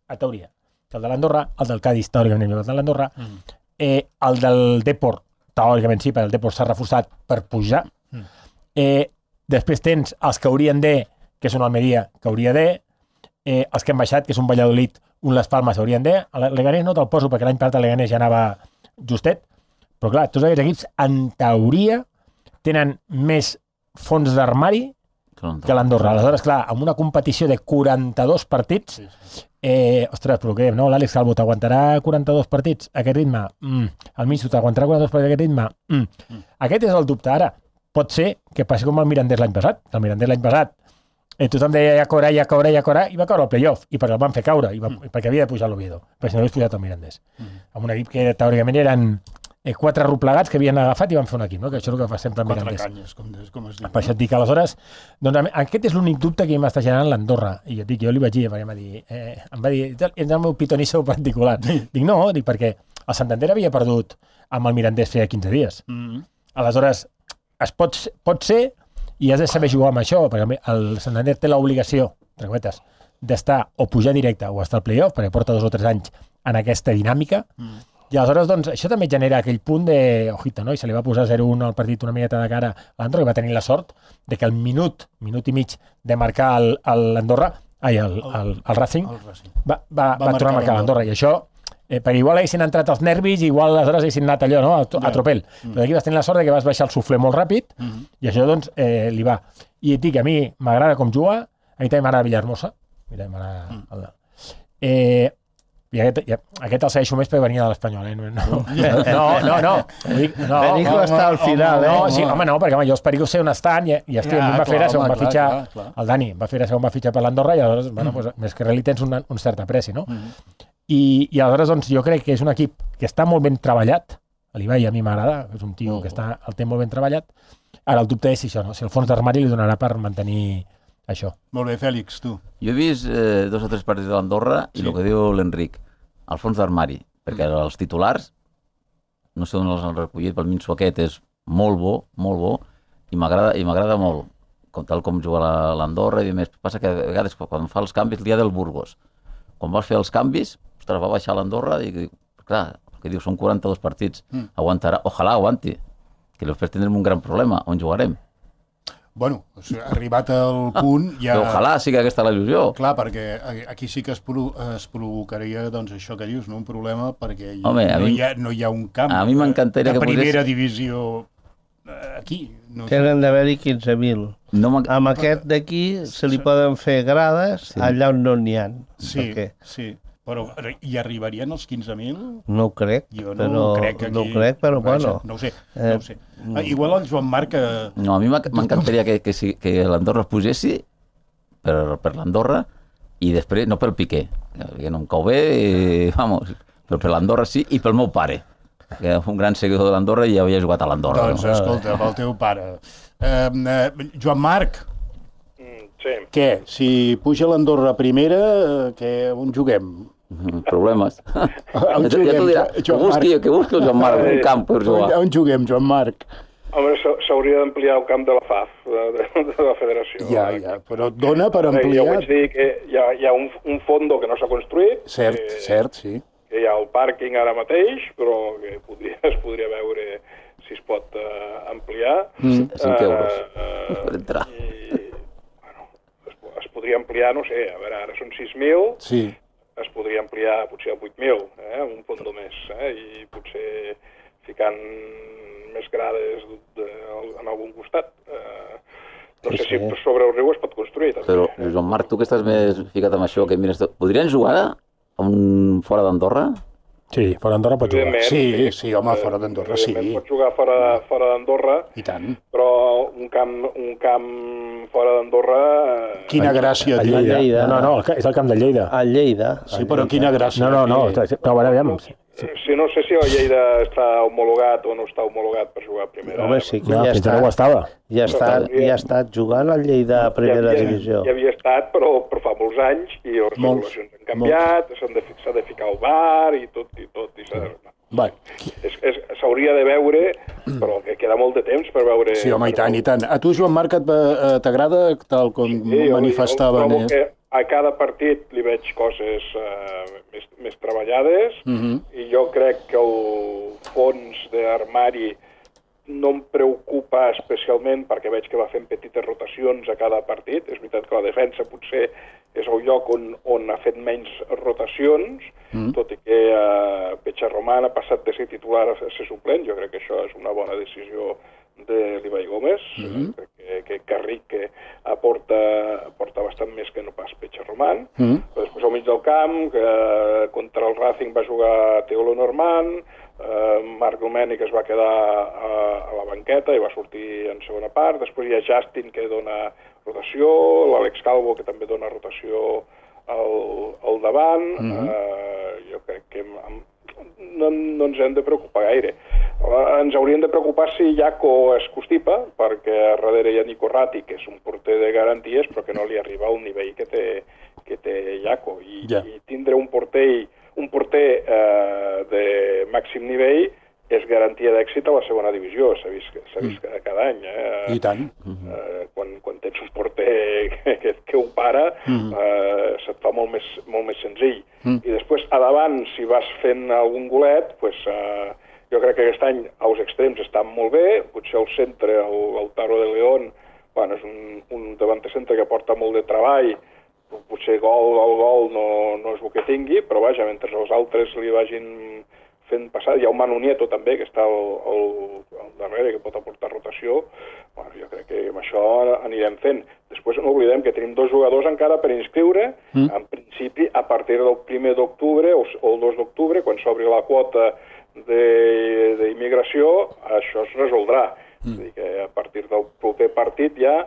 a teoria. El de l'Andorra, el del Cádiz, teòricament millor que el de l'Andorra, mm. eh, el del Depor, teòricament sí, però el Depor s'ha reforçat per pujar. Mm. Eh, després tens els que haurien de que és un Almeria que hauria de, eh, els que han baixat, que és un Valladolid, un Les Palmes haurien de, el Leganés no te'l poso perquè l'any passat el Leganés ja anava justet, però clar, tots aquests equips, en teoria, tenen més fons d'armari que l'Andorra. Aleshores, clar, amb una competició de quaranta-dos partits, eh, ostres, però què, no? L'Àlex Calvo t'aguantarà quaranta-dos partits a aquest ritme? Mm. El Miso t'aguantarà quaranta-dos partits a aquest ritme? Mm. Mm. Aquest és el dubte. Ara, pot ser que passi com el Mirandés l'any passat. El Mirandés l'any passat eh, tothom deia ja caurà, ja caurà, ja caurà, i va caure al playoff, i perquè el van fer caure, i va, mm. perquè havia de pujar l'Oviedo, perquè si no hagués pujat el Mirandés. Mm. Amb un equip que teòricament eren eh, quatre replegats que havien agafat i van fer un equip, no? Que això és el que fa sempre el Mirandés.
Quatre canyes, com, des, com es diu.
Per això et dic, aleshores, doncs, aquest és l'únic dubte que m'està generant l'Andorra. I jo dic, jo li vaig dir, perquè em va dir, eh, em va dir, és el meu pitonisso particular. Dic, no, dic, perquè el Santander havia perdut amb el Mirandés feia quinze dies. Mm. Aleshores, es pot, pot ser, i has de saber jugar amb això, perquè el Santander té l'obligació, entre cometes, d'estar o pujar directe o estar al playoff, perquè porta dos o tres anys en aquesta dinàmica, mm. i aleshores, doncs, això també genera aquell punt de, ojita, no? I se li va posar zero un al partit una miqueta de cara a l'Andorra, i va tenir la sort de que el minut, minut i mig de marcar l'Andorra, ai, el, el, el Racing, el Racing. Va, va, va, va tornar a marcar l'Andorra, i això, eh, perquè igual haguessin entrat els nervis, igual aleshores haguessin anat allò, no?, a, a tropel. Mm. Però aquí vas tenir la sort de que vas baixar el suflé molt ràpid, mm. i això, doncs, eh, li va. I et dic, a mi m'agrada com juga, a mi també m'agrada Villahermosa, mira, m'agrada... Mm. El... Eh, i aquest, ja, aquest el segueixo més perquè venia de l'Espanyol, eh? No, no, no, no, no. Dic, no
Perico no, està al final,
no,
eh?
No, sí, home, no, perquè home, jo els Pericos sé on estan i, i estic, ja, em va fer a on va fitxar clar, clar. El Dani, em va fer a on va fitxar per l'Andorra i aleshores, bueno, mm. pues, més que res li tens un, un cert apreci, no? Mm. I, I aleshores, doncs, jo crec que és un equip que està molt ben treballat, l'Ibai a mi m'agrada, és un tio mm. que està, el té molt ben treballat, ara el dubte és si això, no? Si el fons d'armari li donarà per mantenir això.
Molt bé, Fèlix, tu.
Jo he vist eh, dos o tres partits de l'Andorra i sí. El que diu l'Enric, al fons d'armari, perquè mm. els titulars, no sé on els han recollit, pel Minso aquest és molt bo, molt bo, i m'agrada i m'agrada molt, com, tal com juga l'Andorra i més. Passa que a vegades quan fa els canvis, el dia del Burgos, quan vas fer els canvis, ostres, va baixar l'Andorra i dic, clar, que diu, són quaranta-dos partits, mm. aguantarà, ojalà aguanti, que després tindrem un gran problema, on jugarem.
Bueno, o sigui, arribat al punt ja...
Però ojalà sigui aquesta la il·lusió.
Clar, perquè aquí sí que es, pro es provocaria doncs, això que dius, no? Un problema perquè hi,
Home,
no,
mi,
hi ha, no hi ha un camp
a mi m'encantaria
de
que
primera
posés...
divisió aquí. No
Tenen d'haver-hi quinze mil. No amb aquest d'aquí se li poden fer grades sí. allà on no n'hi ha.
Sí, perquè... sí. Però hi arribarien els quinze mil?
No ho crec,
jo no
però,
crec aquí...
no ho crec, però
Vaja,
bueno.
No ho sé, no ho sé. Eh, ah, igual el Joan Marc... Que...
No, a mi m'encantaria que, que, que l'Andorra es posessi per, per l'Andorra i després, no pel Piqué, que no em cau bé, i, vamos, però per l'Andorra sí, i pel meu pare, que és un gran seguidor de l'Andorra i ja havia jugat a l'Andorra.
Doncs,
no?
escolta, pel teu pare. Eh, eh, Joan Marc,
mm, sí.
Què? Si puja l'Andorra a primera, que on juguem?
Problemes.
On juguem,
ja t'ho dirà. Que busqui, que busqui el Joan Marc un camp per jugar.
On, on juguem, Joan Marc?
Home, s'hauria d'ampliar el camp de la F A F, de, de la federació.
Ja, ja, però et dona per ampliar...
Ja vaig dir que hi ha, hi ha un, un fondo que no s'ha construït.
Cert,
que,
cert, sí.
Que hi ha el pàrquing ara mateix, però que podria, es podria veure si es pot uh, ampliar.
Mm. cinc euros uh, uh, per entrar.
I, bueno, es, es podria ampliar, no sé, a veure, ara són sis mil,
sí.
Es podria ampliar potser a vuit mil, eh, un fondo més, eh, i potser ficant més grades de, de, en algun costat. Eh, no sí, sé sí. si sobre el riu es pot construir. També.
Però, Joan Marc, tu que estàs més ficat amb això, que mires, podrien jugar a un fora d'Andorra?
Sí, fora d'Andorra pot jugar.
Sí, sí, sí, home, fora d'Andorra sí.
Pot jugar fora, fora d'Andorra.
I tant.
Però un camp, un camp fora d'Andorra...
Quina gràcia,
a Lleida. Lleida. No, no, és el camp de Lleida.
A Lleida.
Sí, però quina gràcia.
No, no, no, però a veure, aviam.
Sí. Sí, no sé si el Lleida està homologat o no està homologat per jugar a primera.
Home, sí que
no,
ja, està,
no estava.
ja, està, ja ha estat jugant al Lleida a primera
ja havia,
divisió.
Ja havia estat, però, però fa molts anys, i les
molts,
regulacions han canviat, s'ha de, de ficar el bar i tot, i tot. I s'hauria de veure, però que queda molt de temps per veure...
Sí, home, i tant, i tant. A tu, Joan Marc, t'agrada, tal com
sí,
manifestava...
Jo, jo que a cada partit li veig coses uh, més, més treballades, uh-huh. i jo crec que el fons d'armari no em preocupa especialment perquè veig que va fent petites rotacions a cada partit. És veritat que la defensa potser és el lloc on, on ha fet menys rotacions, mm. tot i que eh, Pecharroman ha passat de ser titular a ser suplent. Jo crec que això és una bona decisió de l'Ibai Gómez. Mm. Crec que, que Carrique aporta, aporta bastant més que no pas Pecharroman. Mm. Però després al mig del camp, que contra el Racing va jugar Teo Lenormand, eh, Marc Domènech es va quedar a, a la banqueta i va sortir en segona part. Després hi ha Justin, que dona rotació, l'Àlex Calvo, que també dona rotació al, al davant. Mm-hmm. eh, jo crec que amb, no, no ens hem de preocupar gaire. Ens hauríem de preocupar si Jaco es constipa, perquè a darrere hi ha Nico Ratti, que és un porter de garanties, però que no li arriba al nivell que té, que té Jaco. I, yeah. i tindre un porter, un porter eh, de màxim nivell és garantia d'èxit a la segona divisió, s'ha vist, s'ha vist mm. cada any. Eh?
I tant.
Eh, quan, quan tens un porter que, que ho para, mm. eh, se't fa molt més, molt més senzill. Mm. I després, a davant, si vas fent algun golet, pues, eh, jo crec que aquest any els extrems estan molt bé, potser el centre, el, el Taro de León, bueno, és un, un davanter centre que porta molt de treball, potser gol, gol, gol no, no és el que tingui, però vaja, mentre els altres li vagin fent passar, hi ha un Manu Nieto també, que està al, al, al darrere, que pot aportar rotació. Bueno, jo crec que amb això anirem fent. Després no oblidem que tenim dos jugadors encara per inscriure, mm. en principi a partir del primer d'octubre o, o el dos d'octubre, quan s'obri la quota d'immigració, això es resoldrà. Mm. És a dir, que a partir del proper partit ja,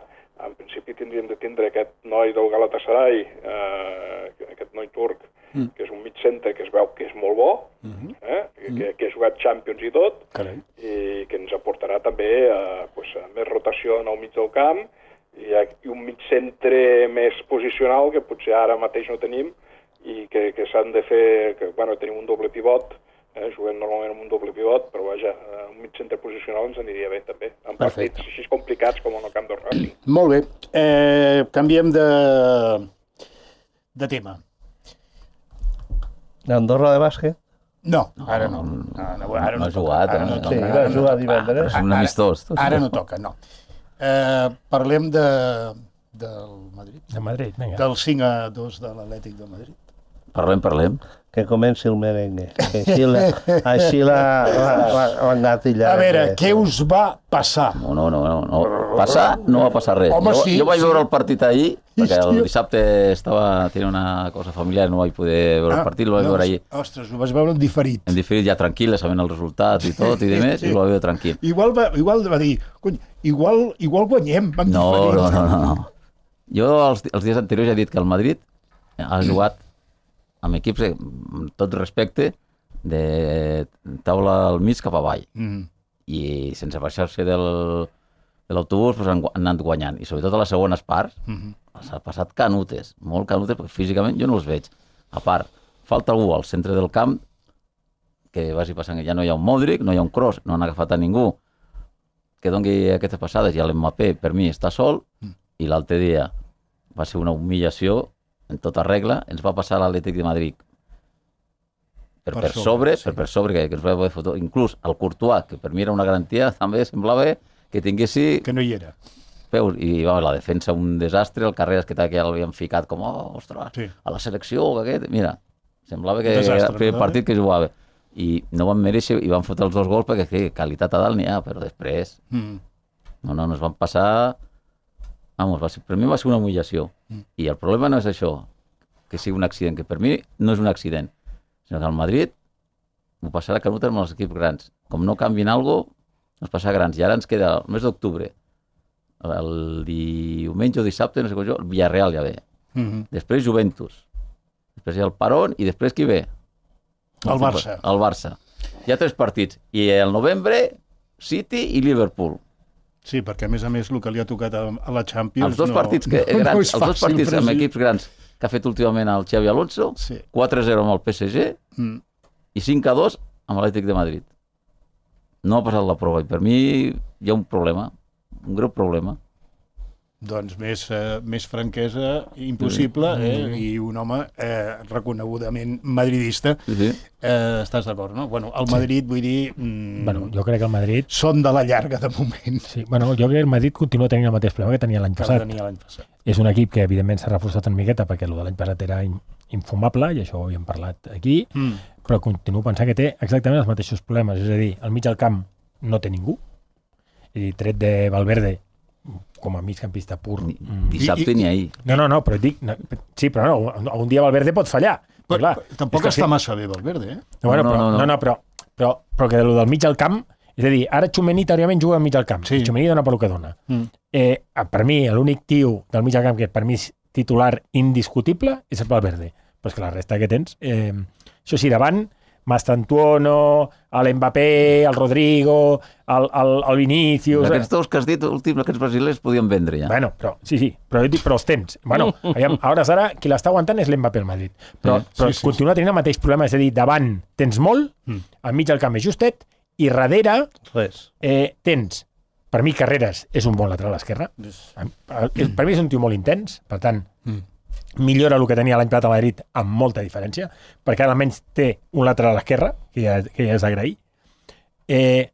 en principi tindríem de tindre aquest noi del Galatasaray, eh, aquest noi turc, mm. que és un mig centre que es veu que és molt bo, mm-hmm. eh, que, mm. que ha jugat Champions i tot, Carai. I que ens aportarà també eh, pues, més rotació en el mig del camp i, i un mig centre més posicional que potser ara mateix no tenim i que, que s'han de fer, que bueno, tenim un doble pivot, eh, juguem normalment amb un doble pivot, però vaja, un mig centre posicional ens aniria bé també, en partits així complicats com en el camp del Racing.
Molt bé, eh, canviem de, de tema.
L'Andorra de bàsquet?
No, ara no. No, no, ara no,
no ha jugat.
Ara no
no,
toca.
Sí, va jugar divendres.
És un amistós.
Ara no toca, no. Eh, parlem de, del Madrid.
De Madrid, vinga.
Del cinc a dos de l'Atlètic de Madrid.
Parlem, parlem.
Que comenci el merengue. Que així la, així la, la, la, la engatillarà.
A veure, què us va passar?
No, no, no. no, no. Passar no va passar res.
Home,
jo,
sí,
jo vaig
sí.
veure el partit ahir, perquè
Hòstia.
el dissabte estava tenia una cosa familiar, no vaig poder veure ah, el partit, el vaig
no,
veure ahir.
Ostres, ho vas veure en diferit.
En diferit, ja tranquil, sabent els resultats i tot, i demés, i ho vaig veure tranquil.
Igual va, igual va dir, cony, igual, igual guanyem, amb
no,
diferit.
No, no, no, no. Jo els, els dies anteriors ja he dit que el Madrid ha jugat amb equips, amb tot respecte, de taula al mig cap avall. Mm. I sense baixar-se del, de l'autobús pues, han, han anat guanyant. I sobretot a les segones parts mm-hmm. s'ha passat canutes, molt canutes, perquè físicament jo no els veig. A part, falta algú al centre del camp que vagi passant, ja no hi ha un Modric, no hi ha un Kroos, no han agafat a ningú que doni aquestes passades, i l'Mbappé per mi està sol, mm. i l'altre dia va ser una humillació en tota regla, ens va passar l'Atlètic de Madrid per, per, per sobre, sobre sí. per, per sobre que, que ens va poder fotre, inclús el Courtois, que per mi era una garantia, també semblava que tinguessi...
Que no hi era.
Peus, i va, la defensa un desastre, el Carreras que, que ja l'havien ficat com, oh, ostres, sí. a la selecció, aquest... Mira, semblava que desastre, era el primer no? partit que jugava. I no van mereixer, i van fotre els dos gols perquè que, qualitat a dalt n'hi ha, però després... Mm. No, no, ens van passar... Vamos, va ser, per mi va ser una humillació. Mm. I el problema no és això, que sigui un accident, que per mi no és un accident, sinó que al Madrid ho passarà canut amb els equips grans. Com no canvien alguna cosa, ens passarà grans. I ara ens queda el mes d'octubre, el diumenge o dissabte, no sé com jo, el Villarreal ja ve. Mm-hmm. Després Juventus. Després hi ha el Parón i després qui ve?
El, el Barça.
El Barça. Hi ha tres partits. I el novembre, City i Liverpool.
Sí, perquè a més a més el que li ha tocat a, a la Champions...
Els dos
no,
partits, que,
no,
grans,
no
els dos partits amb equips grans que ha fet últimament el Xavi Alonso, sí. quatre a zero amb el P S G mm. i cinc a dos amb l'Atlètic de Madrid. No ha passat la prova i per mi hi ha un problema, un greu problema.
Doncs més, eh, més franquesa impossible, eh? I un home eh, reconegudament madridista.
Sí, sí.
Eh, estàs d'acord, no? Bueno, el Madrid, vull dir... Mm,
Bueno, jo crec que el Madrid...
són de la llarga, de moment.
Sí, bueno, jo crec que el Madrid continua tenint el mateix problema que tenia l'any
Que
passat.
tenia l'any passat.
És un equip que, evidentment, s'ha reforçat una miqueta perquè el de l'any passat era in- infumable, i això ho havíem parlat aquí,
Mm.
però continuo pensant que té exactament els mateixos problemes. És a dir, al mig del camp no té ningú. És a dir, tret de Valverde, com a migcampista pur.
Ni,
Mm.
dissabte
I- i-
ni ahir.
No, no, no, però et dic... No, sí, però no, algun dia Valverde pot fallar. Però,
Però,
clar,
tampoc
és que
està
sí.
massa bé, Valverde, eh?
No, bueno,
No,
però,
no,
no,
no.
no, però, però, però que del mig del camp, és a dir, ara Txomení teòricament juga al mig del camp.
Sí.
Sí. Txomení dona pel que dona.
Mm.
Eh, per mi, l'únic tio del mig del camp que per mi és titular indiscutible és el Valverde. Però és que la resta que tens... Eh, això sí, davant, Mastantuono, l'Mbappé, el Rodrigo, el, el, el Vinícius...
Aquests dos que has dit, últims, aquests brasilers, podien vendre ja.
Bueno, però, sí, sí, però, jo dic, però els tens. Bueno, aviam, a hores d'ara, qui l'està aguantant és l'Mbappé al Madrid. Però,
Sí,
però
sí, sí,
continua tenint el mateix problema, és a dir, davant tens molt,
Mm.
al mig del camp és justet, i darrere
Res.
eh, tens, per mi, Carreras és un bon lateral esquerre. Per mi és un tio molt intens, per tant,
Mm.
millora el que tenia l'any passat a Madrid amb molta diferència, perquè ara almenys té un lateral esquerre, que ja, que ja és d'agrair. Eh,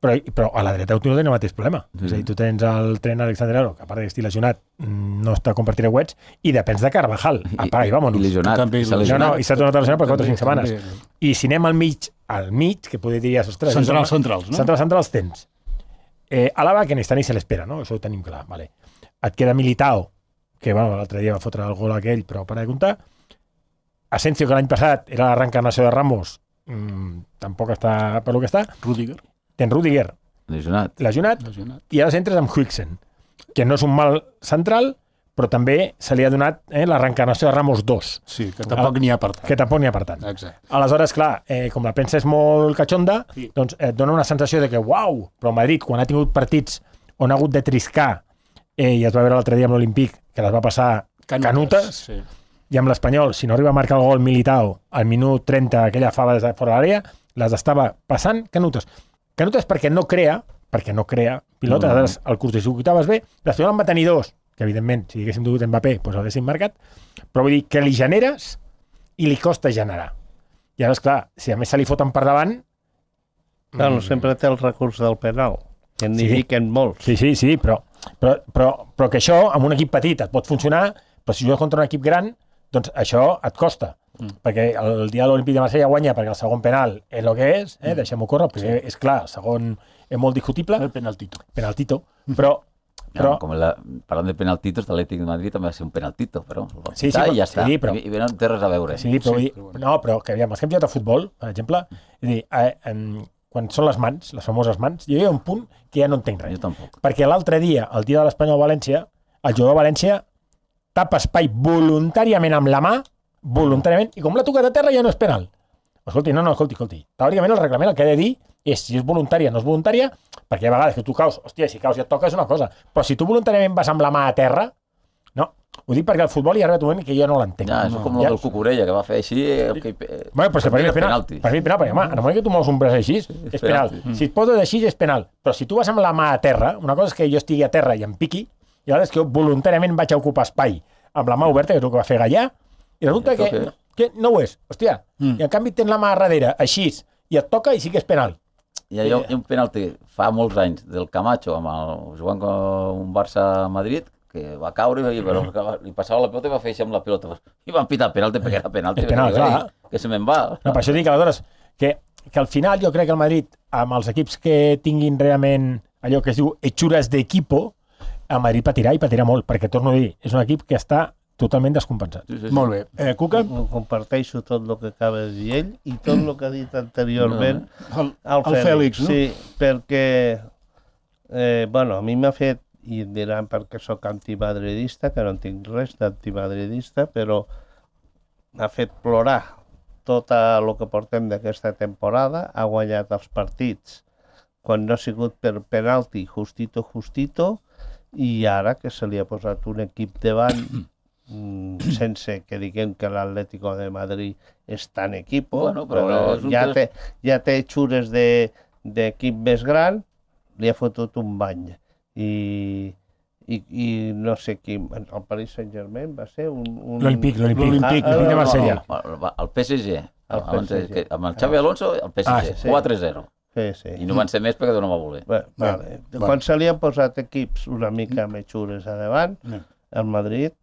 però, però a la dreta continua tenint el mateix problema.
Sí.
És a dir, tu tens el tren Alexander Aro, que a part que estigui lesionat, no està compartint wets, i depens de Carvajal. Apaga i
I
vámonos.
lesionat.
També
i s'ha
il·lusionat.
No,
lesionat.
no, i s'ha tornat a lesionar per quatre o
També,
cinc setmanes.
també.
I si anem al mig, al mig, que poder diries, ostres...
Centrals,
és home,
centrals, no?
Centrals, centrals tens. Eh, Alaba, que ni està ni se l'espera, no? Això ho tenim clar. Vale. Et queda Militao, que bueno, l'altre dia va fotre el gol aquell, però para de comptar. Asensio, que l'any passat era la reencarnació de Ramos, mmm, tampoc està per lo que està.
Rüdiger,
Tens Rüdiger,
Lesionat.
lesionat,
lesionat.
i ara entres amb Huijsen, que no és un mal central, però també se li ha donat eh, la reencarnació de Ramos dos,
Sí, que tampoc n'hi ha per tant.
que tampoc n'hi ha per tant.
Exacte.
Aleshores, clar, eh, com la premsa és molt catxonda,
Sí.
doncs et dona una sensació de que, uau, però Madrid, quan ha tingut partits on ha hagut de triscar, eh, i es va veure l'altre dia amb l'Olímpic, que les va passar canutes,
Sí.
i amb l'Espanyol, si no arriba a marcar el gol Militao al minut trenta, aquella fava des de fora de l'àrea, les estava passant canutes. Canutes perquè no crea, perquè no crea pilota,
No, no.
aleshores el curtcircuitaves bé, l'Espanyol en va tenir dos, que evidentment, si haguéssim dut Mbappé, doncs l'haguéssim marcat, però vull dir que li generes i li costa generar. I ara, esclar, si a més se li foten per davant...
Bueno, sempre té el recurs del penal, que n'hi
Sí.
fiquen molts.
Sí, sí, sí, però, però, però, però que això, amb un equip petit, et pot funcionar, però si jugues contra un equip gran, doncs això et costa. Mm. Perquè el dia de l'Olímpic de Marsella guanya perquè el segon penal és el que és, eh? Deixem-ho córrer, perquè sí. És clar, el segon és molt discutible,
El penaltito.
penaltito, però... però
No, com la, parlant de penaltitos, l'Atlètic de Madrid també va ser un penaltito, però el va
Sí, sí,
pitar
però-
i ja està.
sí, però-
I, i no té res a veure.
sí, però,
Sí,
sí,
però bueno.
no, però que aviam, els que hem jugat a futbol, per exemple, és a dir, eh, em, quan són les mans, les famoses mans, jo hi ha un punt que ja no entenc res.
Jo tampoc.
Perquè l'altre dia, el dia de l'Espanyol-València, el jugador de València tapa espai voluntàriament amb la mà, voluntàriament, i com l'ha tocat a terra ja no és penal. Escolti, no, no, escolti, escolti. Teòricament el reglament el que ha de dir és si és voluntària o no és voluntària, perquè hi ha vegades que tu caus, hòstia, si caus i et toca és una cosa, però si tu voluntàriament vas amb la mà a terra, no. Ho dic perquè al futbol hi ha arribat un moment que jo no l'entenc.
Ja, això és com el
Ja-
del Cucurella, que va fer així... El que,
Bueno, però si per mi és penal.
penalti.
Per mi és penal, perquè, home, en el moment que tu mous un braç així, és penal.
penalti.
Si et poses així, és penal. Però si tu vas amb la mà a terra, una cosa és que jo estigui a terra i em piqui, i l'altra és que jo voluntàriament vaig a ocupar espai amb la mà oberta, que és el que va fer Gallà, i resulta
I
que,
toca.
que no ho és. Hòstia,
Mm.
i en canvi tens la mà a darrere, així, i et toca i sí que és penal.
Hi ha, hi ha un penalti fa molts anys del Camacho amb el, jugant com un Barça a Madrid, que va caure i però, li passava la pelota i va fer així amb la pelota. I van pitar penalti perquè era penalti.
És penal,
perquè,
clar.
Que se me'n va.
No, per això dic, aleshores, que, que al final jo crec que el Madrid, amb els equips que tinguin realment allò que es diu hechures d'equipo, el Madrid patirà i patirà molt, perquè, torno a dir, és un equip que està totalment descompensat.
Sí, sí, sí.
Molt bé. Eh, Cuca?
Ho comparteixo tot el que acaba de dir ell i tot el que ha dit anteriorment
El,
el,
el Fèlix, no?
Sí, perquè, eh, bueno, a mi m'ha fet, i em diran perquè sóc antimadridista, que no en tinc res d'antimadridista, però m'ha fet plorar tot el que portem d'aquesta temporada, ha guanyat els partits quan no ha sigut per penalti justito, justito, i ara que se li ha posat un equip davant mm, sense que diguem que l'Atlético de Madrid és tan equipo,
Bueno, però
però
és un
ja,
tres-
té, ja té xures de- d'equip més gran, li ha fotut un bany. I, i, i no sé qui, el Paris Saint-Germain va ser un... un...
L'Olympic, l'Olympic,
L'Olympic,
l'Olympic de Marsella.
No, no, el P S G.
El P S G.
Amb el Xavi Alonso, el P S G.
Ah, sí.
quatre zero.
Sí, sí.
I no van ser més perquè no va voler.
Bé, vale.
Bé.
Quan se li han posat equips una mica més xures a davant,
Bé.
el Madrid,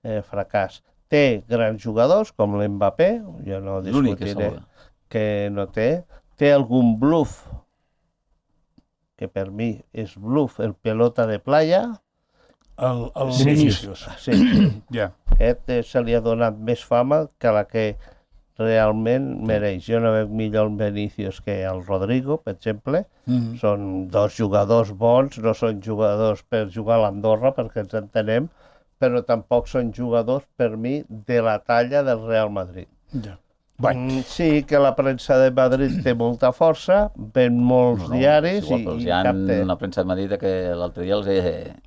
eh, fracàs. Té grans jugadors, com l'Mbappé, jo no
L'únic que
discutiré
salva.
que no té. Té algun bluff, que per mi és bluff, el pelota de playa.
El, el
Vinícius.
Vinícius.
Sí, sí.
Ja.
Aquest eh, se li ha donat més fama que la que realment mereix. Jo no veig millor el Vinícius que el Rodrigo, per exemple.
Mm.
Són dos jugadors bons, no són jugadors per jugar a l'Andorra, perquè ens entenem, però tampoc són jugadors, per mi, de la talla del Real Madrid.
Ja. Bueno.
Mm, sí que la premsa de Madrid té molta força, ven molts
No, no,
diaris
és igual,
i,
però
i
hi ha
cap té.
una premsa de Madrid que l'altre dia els he...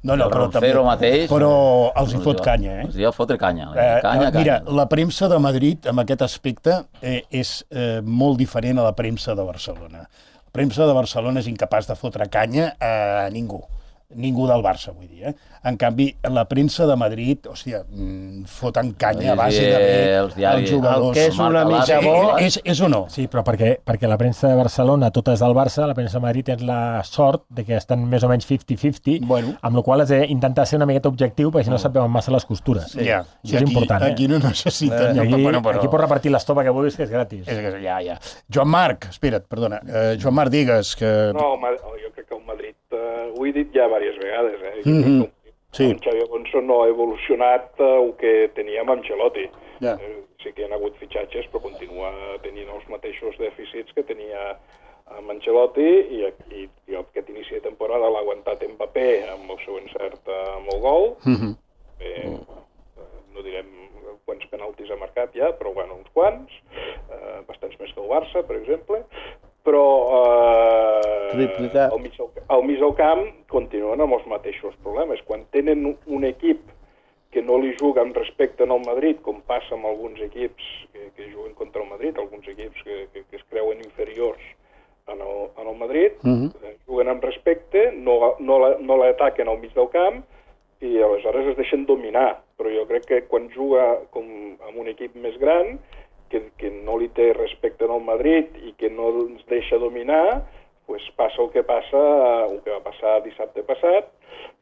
No, no,
el
però també-
Roncero mateix...
Però els hi fot canya, eh?
Els hi ha fotre canya.
Eh,
canya,
mira,
canya.
la premsa de Madrid, en aquest aspecte, eh, és eh, molt diferent a la premsa de Barcelona. La premsa de Barcelona és incapaç de fotre canya a ningú. Ningú del Barça, vull dir, eh? En canvi, la premsa de Madrid, hòstia, mm, foten canya a base de bé
Els diaris-
els jugadors.
El que és una
Marca
mica
l'A
bo...
C.
És, és o no?
Sí, però perquè, perquè la premsa de Barcelona tota és del Barça, la premsa de Madrid té la sort de que estan més o menys cinquanta cinquanta,
Bueno.
amb la qual has d'intentar ser una miqueta objectiu, perquè si no se't veuen massa les costures.
Sí. Ja.
Això és
I aquí,
important, eh?
Aquí no necessiten...
I
no,
aquí,
bueno, però-
aquí pots repartir l'estopa que vulguis, que és gratis.
És que ja, ja. Joan Marc, espera't, perdona. Eh, Joan Marc, digues que...
No, Ma- jo crec que el Madrid, eh, ho he dit ja diverses vegades, eh? Jo
Mhm.
crec que
Sí.
el Xavi Alonso no ha evolucionat eh, el que teníem amb Ancelotti.
Ja.
Eh, sí que hi ha hagut fitxatges, però continua tenint els mateixos dèficits que tenia amb Ancelotti i, i, i aquest inici de temporada l'ha aguantat Mbappé amb el seu encert amb el gol.
Mhm.
Bé, no direm quants penaltis ha marcat ja, però bueno, uns quants, eh, bastants més que el Barça, per exemple, però eh,
Triplicat.
al, mig del, al mig del camp continuen amb els mateixos problemes. Quan tenen un- un equip que no li juga amb respecte al Madrid, com passa amb alguns equips que, que juguen contra el Madrid, alguns equips que, que, que es creuen inferiors en el, en el Madrid,
Mhm.
eh, juguen amb respecte, no, no, la- no l'ataquen al mig del camp i aleshores es deixen dominar. Però jo crec que quan juga com amb un equip més gran, que, que no li té respecte al Madrid i que no ens deixa dominar, pues passa el que passa, el que va passar dissabte passat,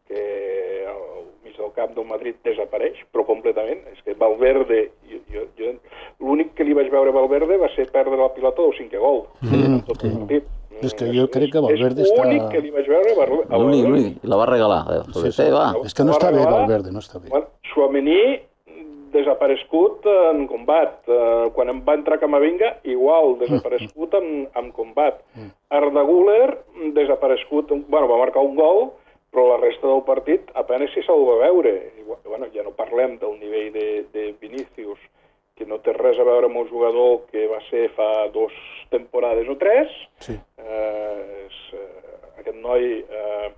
que al mig del camp del Madrid desapareix, però completament. És que Valverde, jo, jo, jo, l'únic que li vaig veure a Valverde va ser perdre la pilota del cinquè gol, en tot el partit.
És que jo crec que Valverde
és
està-
l'únic que li vaig veure a Valverde.
L'únic, l'únic. I la va regalar. Eh?
Sí, sí.
Sí, va.
És que no està bé, Valverde, no està bé.
Bueno, Tchouaméni desaparegut en combat. Uh, quan em va entrar Camavinga, igual, desaparegut en, en combat. Arda Güler, desaparegut, bueno, va marcar un gol, però la resta del partit apenas si se'l va veure. I, bueno, ja no parlem del nivell de, de Vinícius, que no té res a veure amb el jugador que va ser fa dos temporades o tres.
Sí.
Eh, és, eh, aquest noi, eh,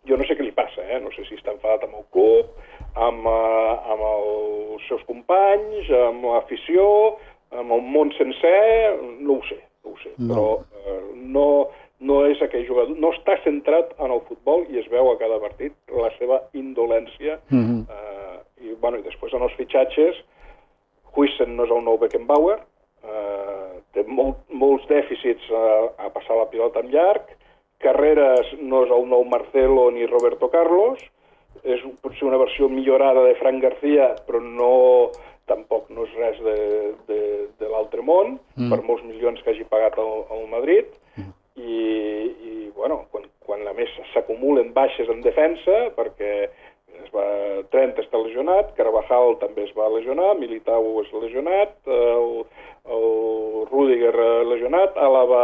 jo no sé què li passa, eh? No sé si està enfadat amb el club, amb, eh, amb els seus companys, amb l'afició, amb el món sencer, no ho sé, no ho sé.
No.
Però eh, no, no és aquell jugador, no està centrat en el futbol i es veu a cada partit la seva indolència.
Mhm.
eh, i, bueno, i després en els fitxatges, Huijsen no és el nou Beckenbauer, eh, té molt, molts dèficits a, a passar la pilota en llarg, Carreras no és el nou Marcelo ni Roberto Carlos, és potser una versió millorada de Fran García, però no, tampoc no és res de, de, de l'altre món, mm. per molts milions que hagi pagat el, el Madrid, mm. i, i bueno, quan, quan a més s'acumulen baixes en defensa, perquè es va, Trent està lesionat, Carvajal també es va lesionar, Militao és lesionat, el, el Rüdiger lesionat, Àlava,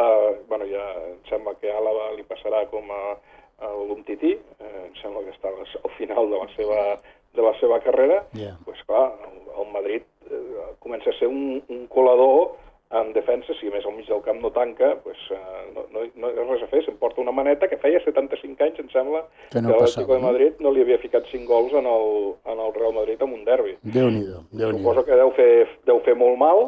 bueno, ja em sembla que Àlava li passarà com a, a l'Umtiti, eh, em sembla que està al final de la seva, de la seva carrera,
Yeah.
pues clar, el, el Madrid eh, comença a ser un, un colador en defensa, si a més al mig del camp no tanca, pues, uh, no, no, no hi ha res a fer, s'emporta una maneta que feia setanta-cinc anys, em sembla,
Que no
que
passava,
l'Atlético de
no?
Madrid no li havia ficat cinc gols en el, en el Real Madrid en un derbi.
Déu-n'hi-do, Déu-n'hi-do.
Suposo que deu fer, deu fer molt mal,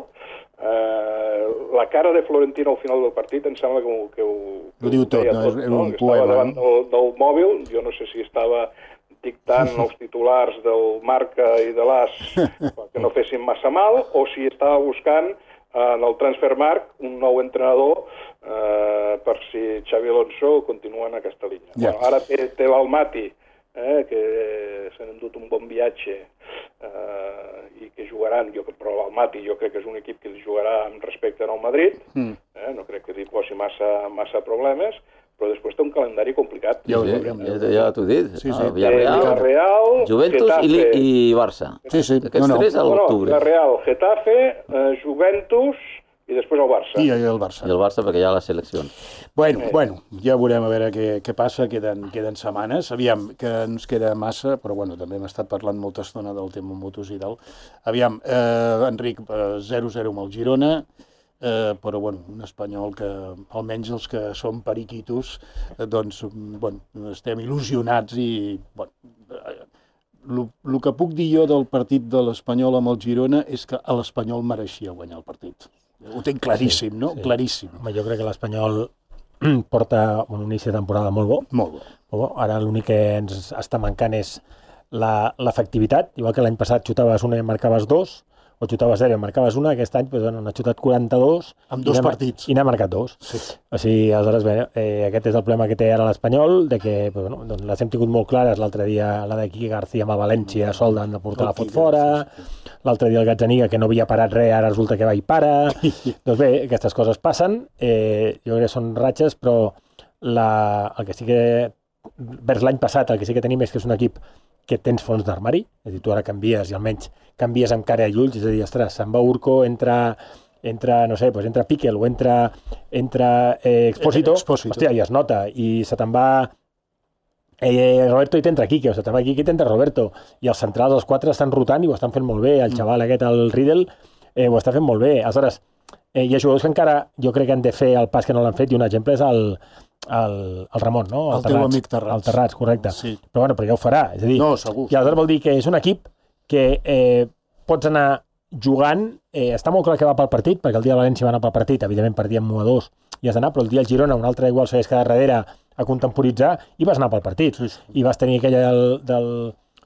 eh, la cara de Florentino al final del partit em sembla que ho, que ho, que
ho diu tot,
deia
no?
tot,
És
no?
un
Que estava
poema,
davant
no?
del, del mòbil, jo no sé si estava dictant els titulars del Marca i de l'As que no fessin massa mal, o si estava buscant en el Transfermarkt un nou entrenador eh, per si Xavi Alonso continua en aquesta línia.
Ja.
Bueno, ara té, té l'Almaty, eh, que s'han endut un bon viatge eh, i que jugaran, jo, però l'Almaty jo crec que és un equip que jugarà amb respecte al Madrid,
Mm.
eh, no crec que li posi massa, massa problemes, però després té un calendari complicat.
Ja ho
Sí,
veurem.
ja, ja t'ho he dit.
Sí, sí.
Ah,
Té
Villarreal,
Villarreal,
Juventus i,
Getafe,
Li- i Barça.
Sí, sí.
Aquests
No, no.
tres a
no, no,
l'octubre.
Villarreal, Getafe, eh, Juventus i després el Barça.
I el Barça.
I el Barça perquè hi ha les seleccions.
Bueno, bueno, ja veurem a veure què, què passa, queden, queden setmanes, aviam, que ens queda massa, però bueno, també hem estat parlant molta estona del tema motos i tal. Aviam, eh, Enric, eh, zero zero amb el Girona, eh, però bueno, un espanyol que, almenys els que som periquitos, eh, doncs, bueno, estem il·lusionats i, bueno, el que puc dir jo del partit de l'Espanyol amb el Girona és que a l'Espanyol mereixia guanyar el partit. Ho tinc claríssim, no?
Sí.
Claríssim.
Home, jo crec que l'Espanyol porta un inici de temporada molt bo.
Molt bo.
Molt bo. Ara l'únic que ens està mancant és la- l'efectivitat. Igual que l'any passat xutaves una i en marcaves dos, o xutaves zero i en marcaves una, aquest any doncs, bueno, n'ha xutat quaranta-dos.
Amb
i
dos
n'ha-
partits.
I n'ha marcat dos.
Sí.
O sigui, aleshores, bé, eh, aquest és el problema que té ara l'Espanyol, de que doncs, bueno, doncs les hem tingut molt clares. L'altre dia la d'aquí García amb el València, sol de portar la fot fora. L'altre dia el Gazzaniga, que no havia parat res, ara resulta que va i para. Doncs bé, aquestes coses passen. Eh, jo crec que són ratxes, però la, el que sí que, vers l'any passat, el que sí que tenim és que és un equip que tens fons d'armari, és a dir, tu ara canvies i almenys canvies amb cara i ulls, és a dir, ostres, se'n va Urco, entra, entra no sé, doncs entra Piquel o entra, entra eh, Expósito,
Expósito.
hòstia, i es nota, i se te'n va eh, Roberto i t'entra Quique, o se te'n va Quique i t'entra Roberto, i els centrals, els quatre, estan rotant i ho estan fent molt bé, el xaval aquest, el Riedel, eh, ho està fent molt bé, aleshores, eh, hi ha jugadors que encara jo crec que han de fer el pas que no l'han fet, i un exemple és el, el, el Ramon, no?
El teu amic Terrats.
El Terrats, correcte.
Sí.
Però bueno, però ja ho farà, és a dir,
No, segur.
i aleshores vol dir que és un equip que eh, pots anar jugant, eh, està molt clar que va pel partit, perquè el dia de València va anar pel partit, evidentment perdíem u a dos i has d'anar, però el dia del Girona un altre igual segueix cada darrere a contemporitzar i vas anar pel partit.
Sí, sí.
I vas tenir aquella del... del,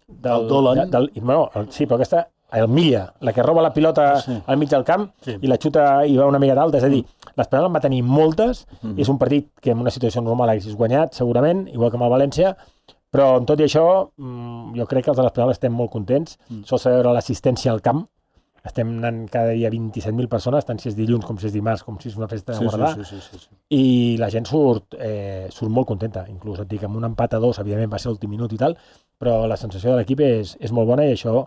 del,
El Dolan.
Del, no, el, sí, però aquesta, el Milla, la que roba la pilota
Sí.
al mig del camp
Sí.
i la xuta i va una mica d'alta, és a dir, l'Espanyol en va tenir moltes,
Mm-hmm.
és un partit que en una situació normal haguessis guanyat, segurament, igual que amb el València, però amb tot i això, mm, jo crec que els de l'Espanyol estem molt contents. Mm. Sol saber veure l'assistència al camp. Estem anant cada dia vint-i-set mil persones, tant si és dilluns com si és dimarts, com si és una festa de
Sí,
guardar.
sí, sí, sí, sí.
I la gent surt, eh, surt molt contenta. Inclús et dic, amb un empat a dos, evidentment va ser l'últim minut i tal, però la sensació de l'equip és, és molt bona i això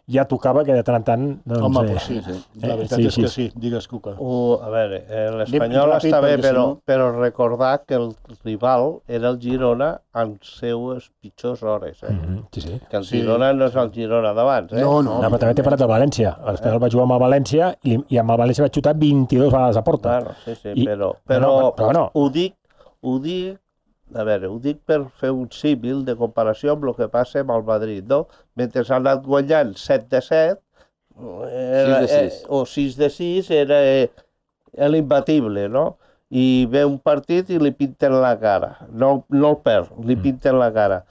ja tocava que de tant en tant... Doncs,
Home,
eh,
però sí,
sí.
la
Eh,
veritat
sí,
és
sí.
que sí, digues, Cuca.
Uh, a veure, eh, l'Espanyol
Anem ràpid,
està bé,
perquè si
però,
no-
però recordar que el rival era el Girona en seues pitjors hores. Eh?
Mhm, sí, sí.
Que el
Sí.
Girona no és el Girona d'abans. Eh?
No, no.
No, però també t'he parlat del València. L'Espanyol va jugar amb el València i, li- i amb el València va xutar vint-i-dos vegades a porta.
Bueno, sí, sí,
I-
però,
però
però,
no, però no.
ho dic, ho dic, a veure, ho dic per fer un símil de comparació amb el que passa amb el Madrid, no? Mentre s'ha anat guanyant set de set, era,
sis de sis.
Eh, o sis de sis era eh, l'imbatible, no? I ve un partit i li pinten la cara. No, no el perd, li pinten la cara.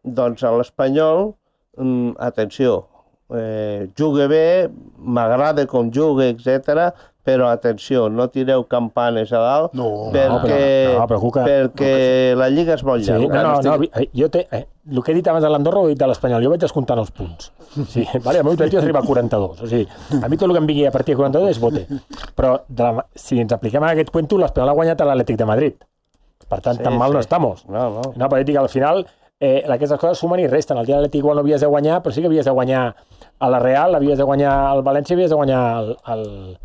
Doncs a l'Espanyol, mm, atenció, eh, juga bé, m'agrada com juga, etcètera, però atenció, no tireu campanes a dalt,
No,
perquè,
però- no, però, Cuca,
perquè la lliga és molt
Sí,
llarga.
no, no, no, eh, jo té, eh, el que he dit abans de l'Andorra ho he dit de l'Espanyol, jo vaig descomptant els punts. Sí, vale, el meu objectiu és arribar a quaranta-dos, o sigui, a mi tot el que em vingui a partir de quaranta-dos és bote. Però de la, si ens apliquem a aquest cuento, l'Espanyol ha guanyat a l'Atlètic de Madrid. Per tant,
Sí,
tan mal
sí.
no estamos.
No, no.
No, però dic, al final, eh, aquestes coses sumen i resten. El dia de l'Atlètic igual no havies de guanyar, però sí que havies de guanyar a la Real, havies de guanyar al València, havies de guanyar al, al,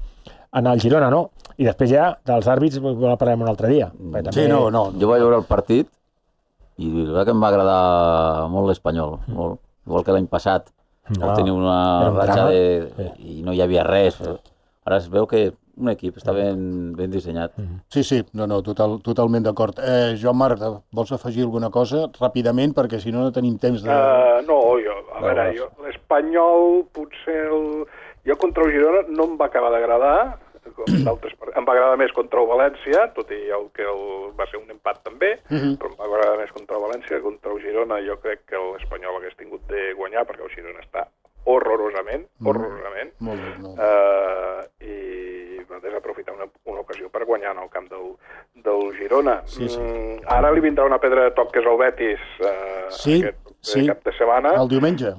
en el Girona, no? I després ja, dels àrbits, ho parlarem un altre dia. Perquè
Sí, no, no.
Jo vaig veure el partit i la veritat que em va agradar molt l'Espanyol, molt. Igual que l'any passat,
No,
no, tenia una
era un
ratxa
drama.
de... i no hi havia res. Ara es veu que un equip està ben, ben dissenyat.
Sí, sí, no, no, total, totalment d'acord. Eh, Joan Marc, vols afegir alguna cosa ràpidament, perquè si no no tenim temps de...
Uh, no, jo, a
No,
veure,
no.
jo, l'Espanyol potser el, Jo contra el Girona no em va acabar d'agradar, d'altres em va agradar més contra el València, tot i el que el, va ser un empat també, uh -huh. però em va agradar més contra el València. Contra el Girona jo crec que l'Espanyol hagués tingut de guanyar, perquè el Girona està horrorosament, horrorosament, mm. molt bé, molt bé. Uh, i va desaprofitar una, una ocasió per guanyar en el camp del, del Girona.
Sí, sí.
Mm, ara li vindrà una pedra de toc, que és el Betis, uh,
sí,
aquest
sí.
cap de setmana.
El diumenge.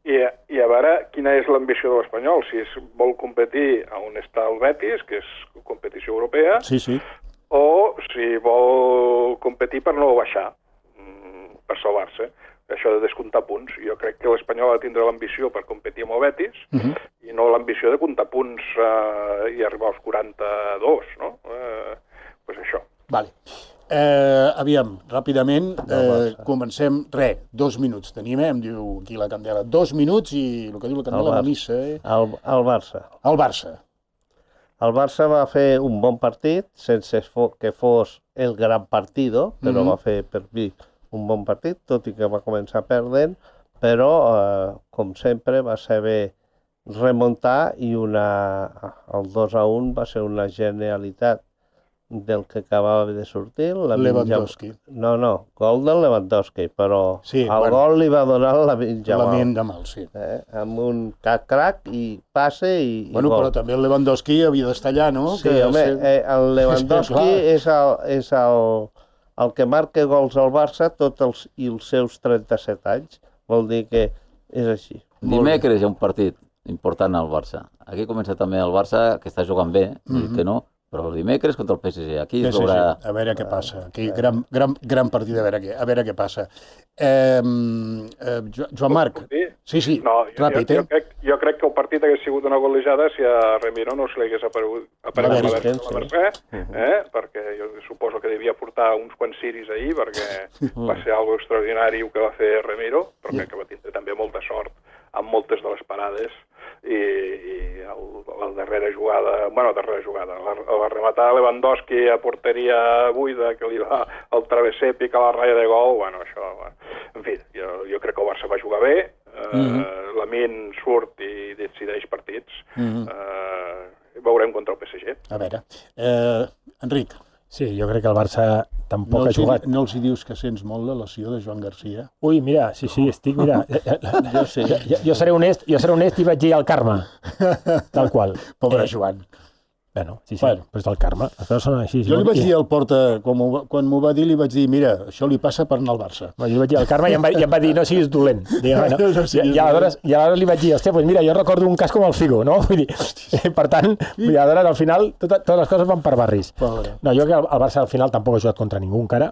I, i a veure quina és l'ambició de l'Espanyol, si es vol competir a on està el Betis, que és competició europea,
sí, sí.
o si vol competir per no baixar, per salvar-se. Això de descomptar punts. Jo crec que l'Espanyol ha de tindre l'ambició per competir amb el Betis uh -huh. i no l'ambició de comptar punts eh, i arribar als quaranta-dos, no? Eh, pues això.
Vale. Eh, aviam, ràpidament, eh, comencem, re, dos minuts tenim, eh? Em diu aquí la Candela, dos minuts i el que diu la Candela, la missa, eh?
El, el Barça.
El Barça.
El Barça va fer un bon partit, sense que fos el gran partido, però mm-hmm. va fer per mi un bon partit, tot i que va començar perdent, però, eh, com sempre, va saber remuntar i una, el dos a un va ser una genialitat del que acabava de sortir. La
Lewandowski.
Minja... No, no, gol del Lewandowski, però
sí,
el
bueno,
gol li va donar la Jamal.
La Jamal, sí.
Eh? Amb un crac i passe i,
bueno,
i gol.
Però també el Lewandowski havia d'estar allà, no?
Sí,
que
home,
ser...
eh, el Lewandowski és, el, és el, el que marca gols al Barça tots els, i els seus trenta-set anys. Vol dir que és així.
Dimecres hi ha un partit important al Barça. Aquí comença també el Barça, que està jugant bé, no dic que no, però el dimecres contra el P S G. Aquí es veurà...
A veure què passa. Aquí, gran, gran, gran partit, a veure què, a veure què passa. Eh, eh, Joan Marc. Sí, sí,
no,
ràpid,
jo,
eh?
Jo crec, jo crec que el partit hagués sigut una golejada si a Remiro no se li hagués aparegut, aparegut la, la, la Mercè, eh? perquè jo suposo que devia portar uns quants ciris ahir, perquè va ser algo extraordinari el que va fer Remiro, però crec que va tindre també molta sort amb moltes de les parades i, i el, la darrera jugada, bueno, la darrera jugada, la, la rematada Lewandowski a porteria buida, que li va al travesser, pica la ratlla de gol, bueno, això... Bueno. En fi, jo, jo crec que el Barça va jugar bé, eh, mm-hmm. Lamine surt i decideix partits, mm-hmm. eh, veurem contra el P S G.
A veure, eh, Enric.
Sí, jo crec que el Barça tampoc
no
ha jugat.
Hi, no els hi dius que sents molt la lesió de Joan Garcia?
Ui, mira, sí, sí, estic, mira... jo, sí. jo, jo, seré honest, jo seré honest i vaig dir al Carme, tal qual.
Pobre
eh,
Joan.
Bueno, sí, sí, bueno. Però és del Carme. Les coses són així.
Jo li vaig dir al Porta, quan m'ho quan m'ho va dir, li vaig dir, mira, això li passa per anar al Barça.
Bueno, jo li vaig dir al Carme i em va, i em va dir, no siguis dolent. Digue, bueno, no, no I, i, aleshores, I aleshores li vaig dir, hòstia, pues mira, jo recordo un cas com el Figo, no? Vull dir, per tant, vull dir, aleshores, al final, tot, totes les coses van per barris.
Pobre.
No, jo crec que el, el Barça al final tampoc ha jugat contra ningú encara,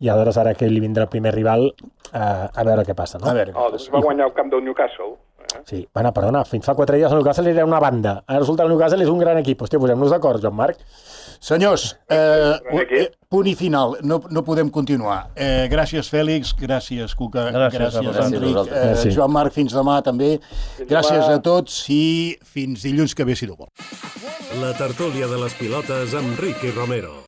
i aleshores ara que li vindrà el primer rival, eh, a veure què passa, no?
A veure,
oh, doncs va guanyar el camp del Newcastle.
Sí, bueno, perdona, fins fa quatre dies el Newcastle era una banda. Ara resulta que el Newcastle és un gran equip. Hòstia, posem-nos d'acord, Joan Marc.
Senyors, eh, eh, punt i final, no, no podem continuar. Eh, gràcies, Fèlix, gràcies, Cuca, gràcies, gràcies Enric, eh, Joan Marc, fins demà també. Gràcies a tots i fins dilluns que ve, si no vol.
La tertúlia de les pilotes amb Ricky Romero.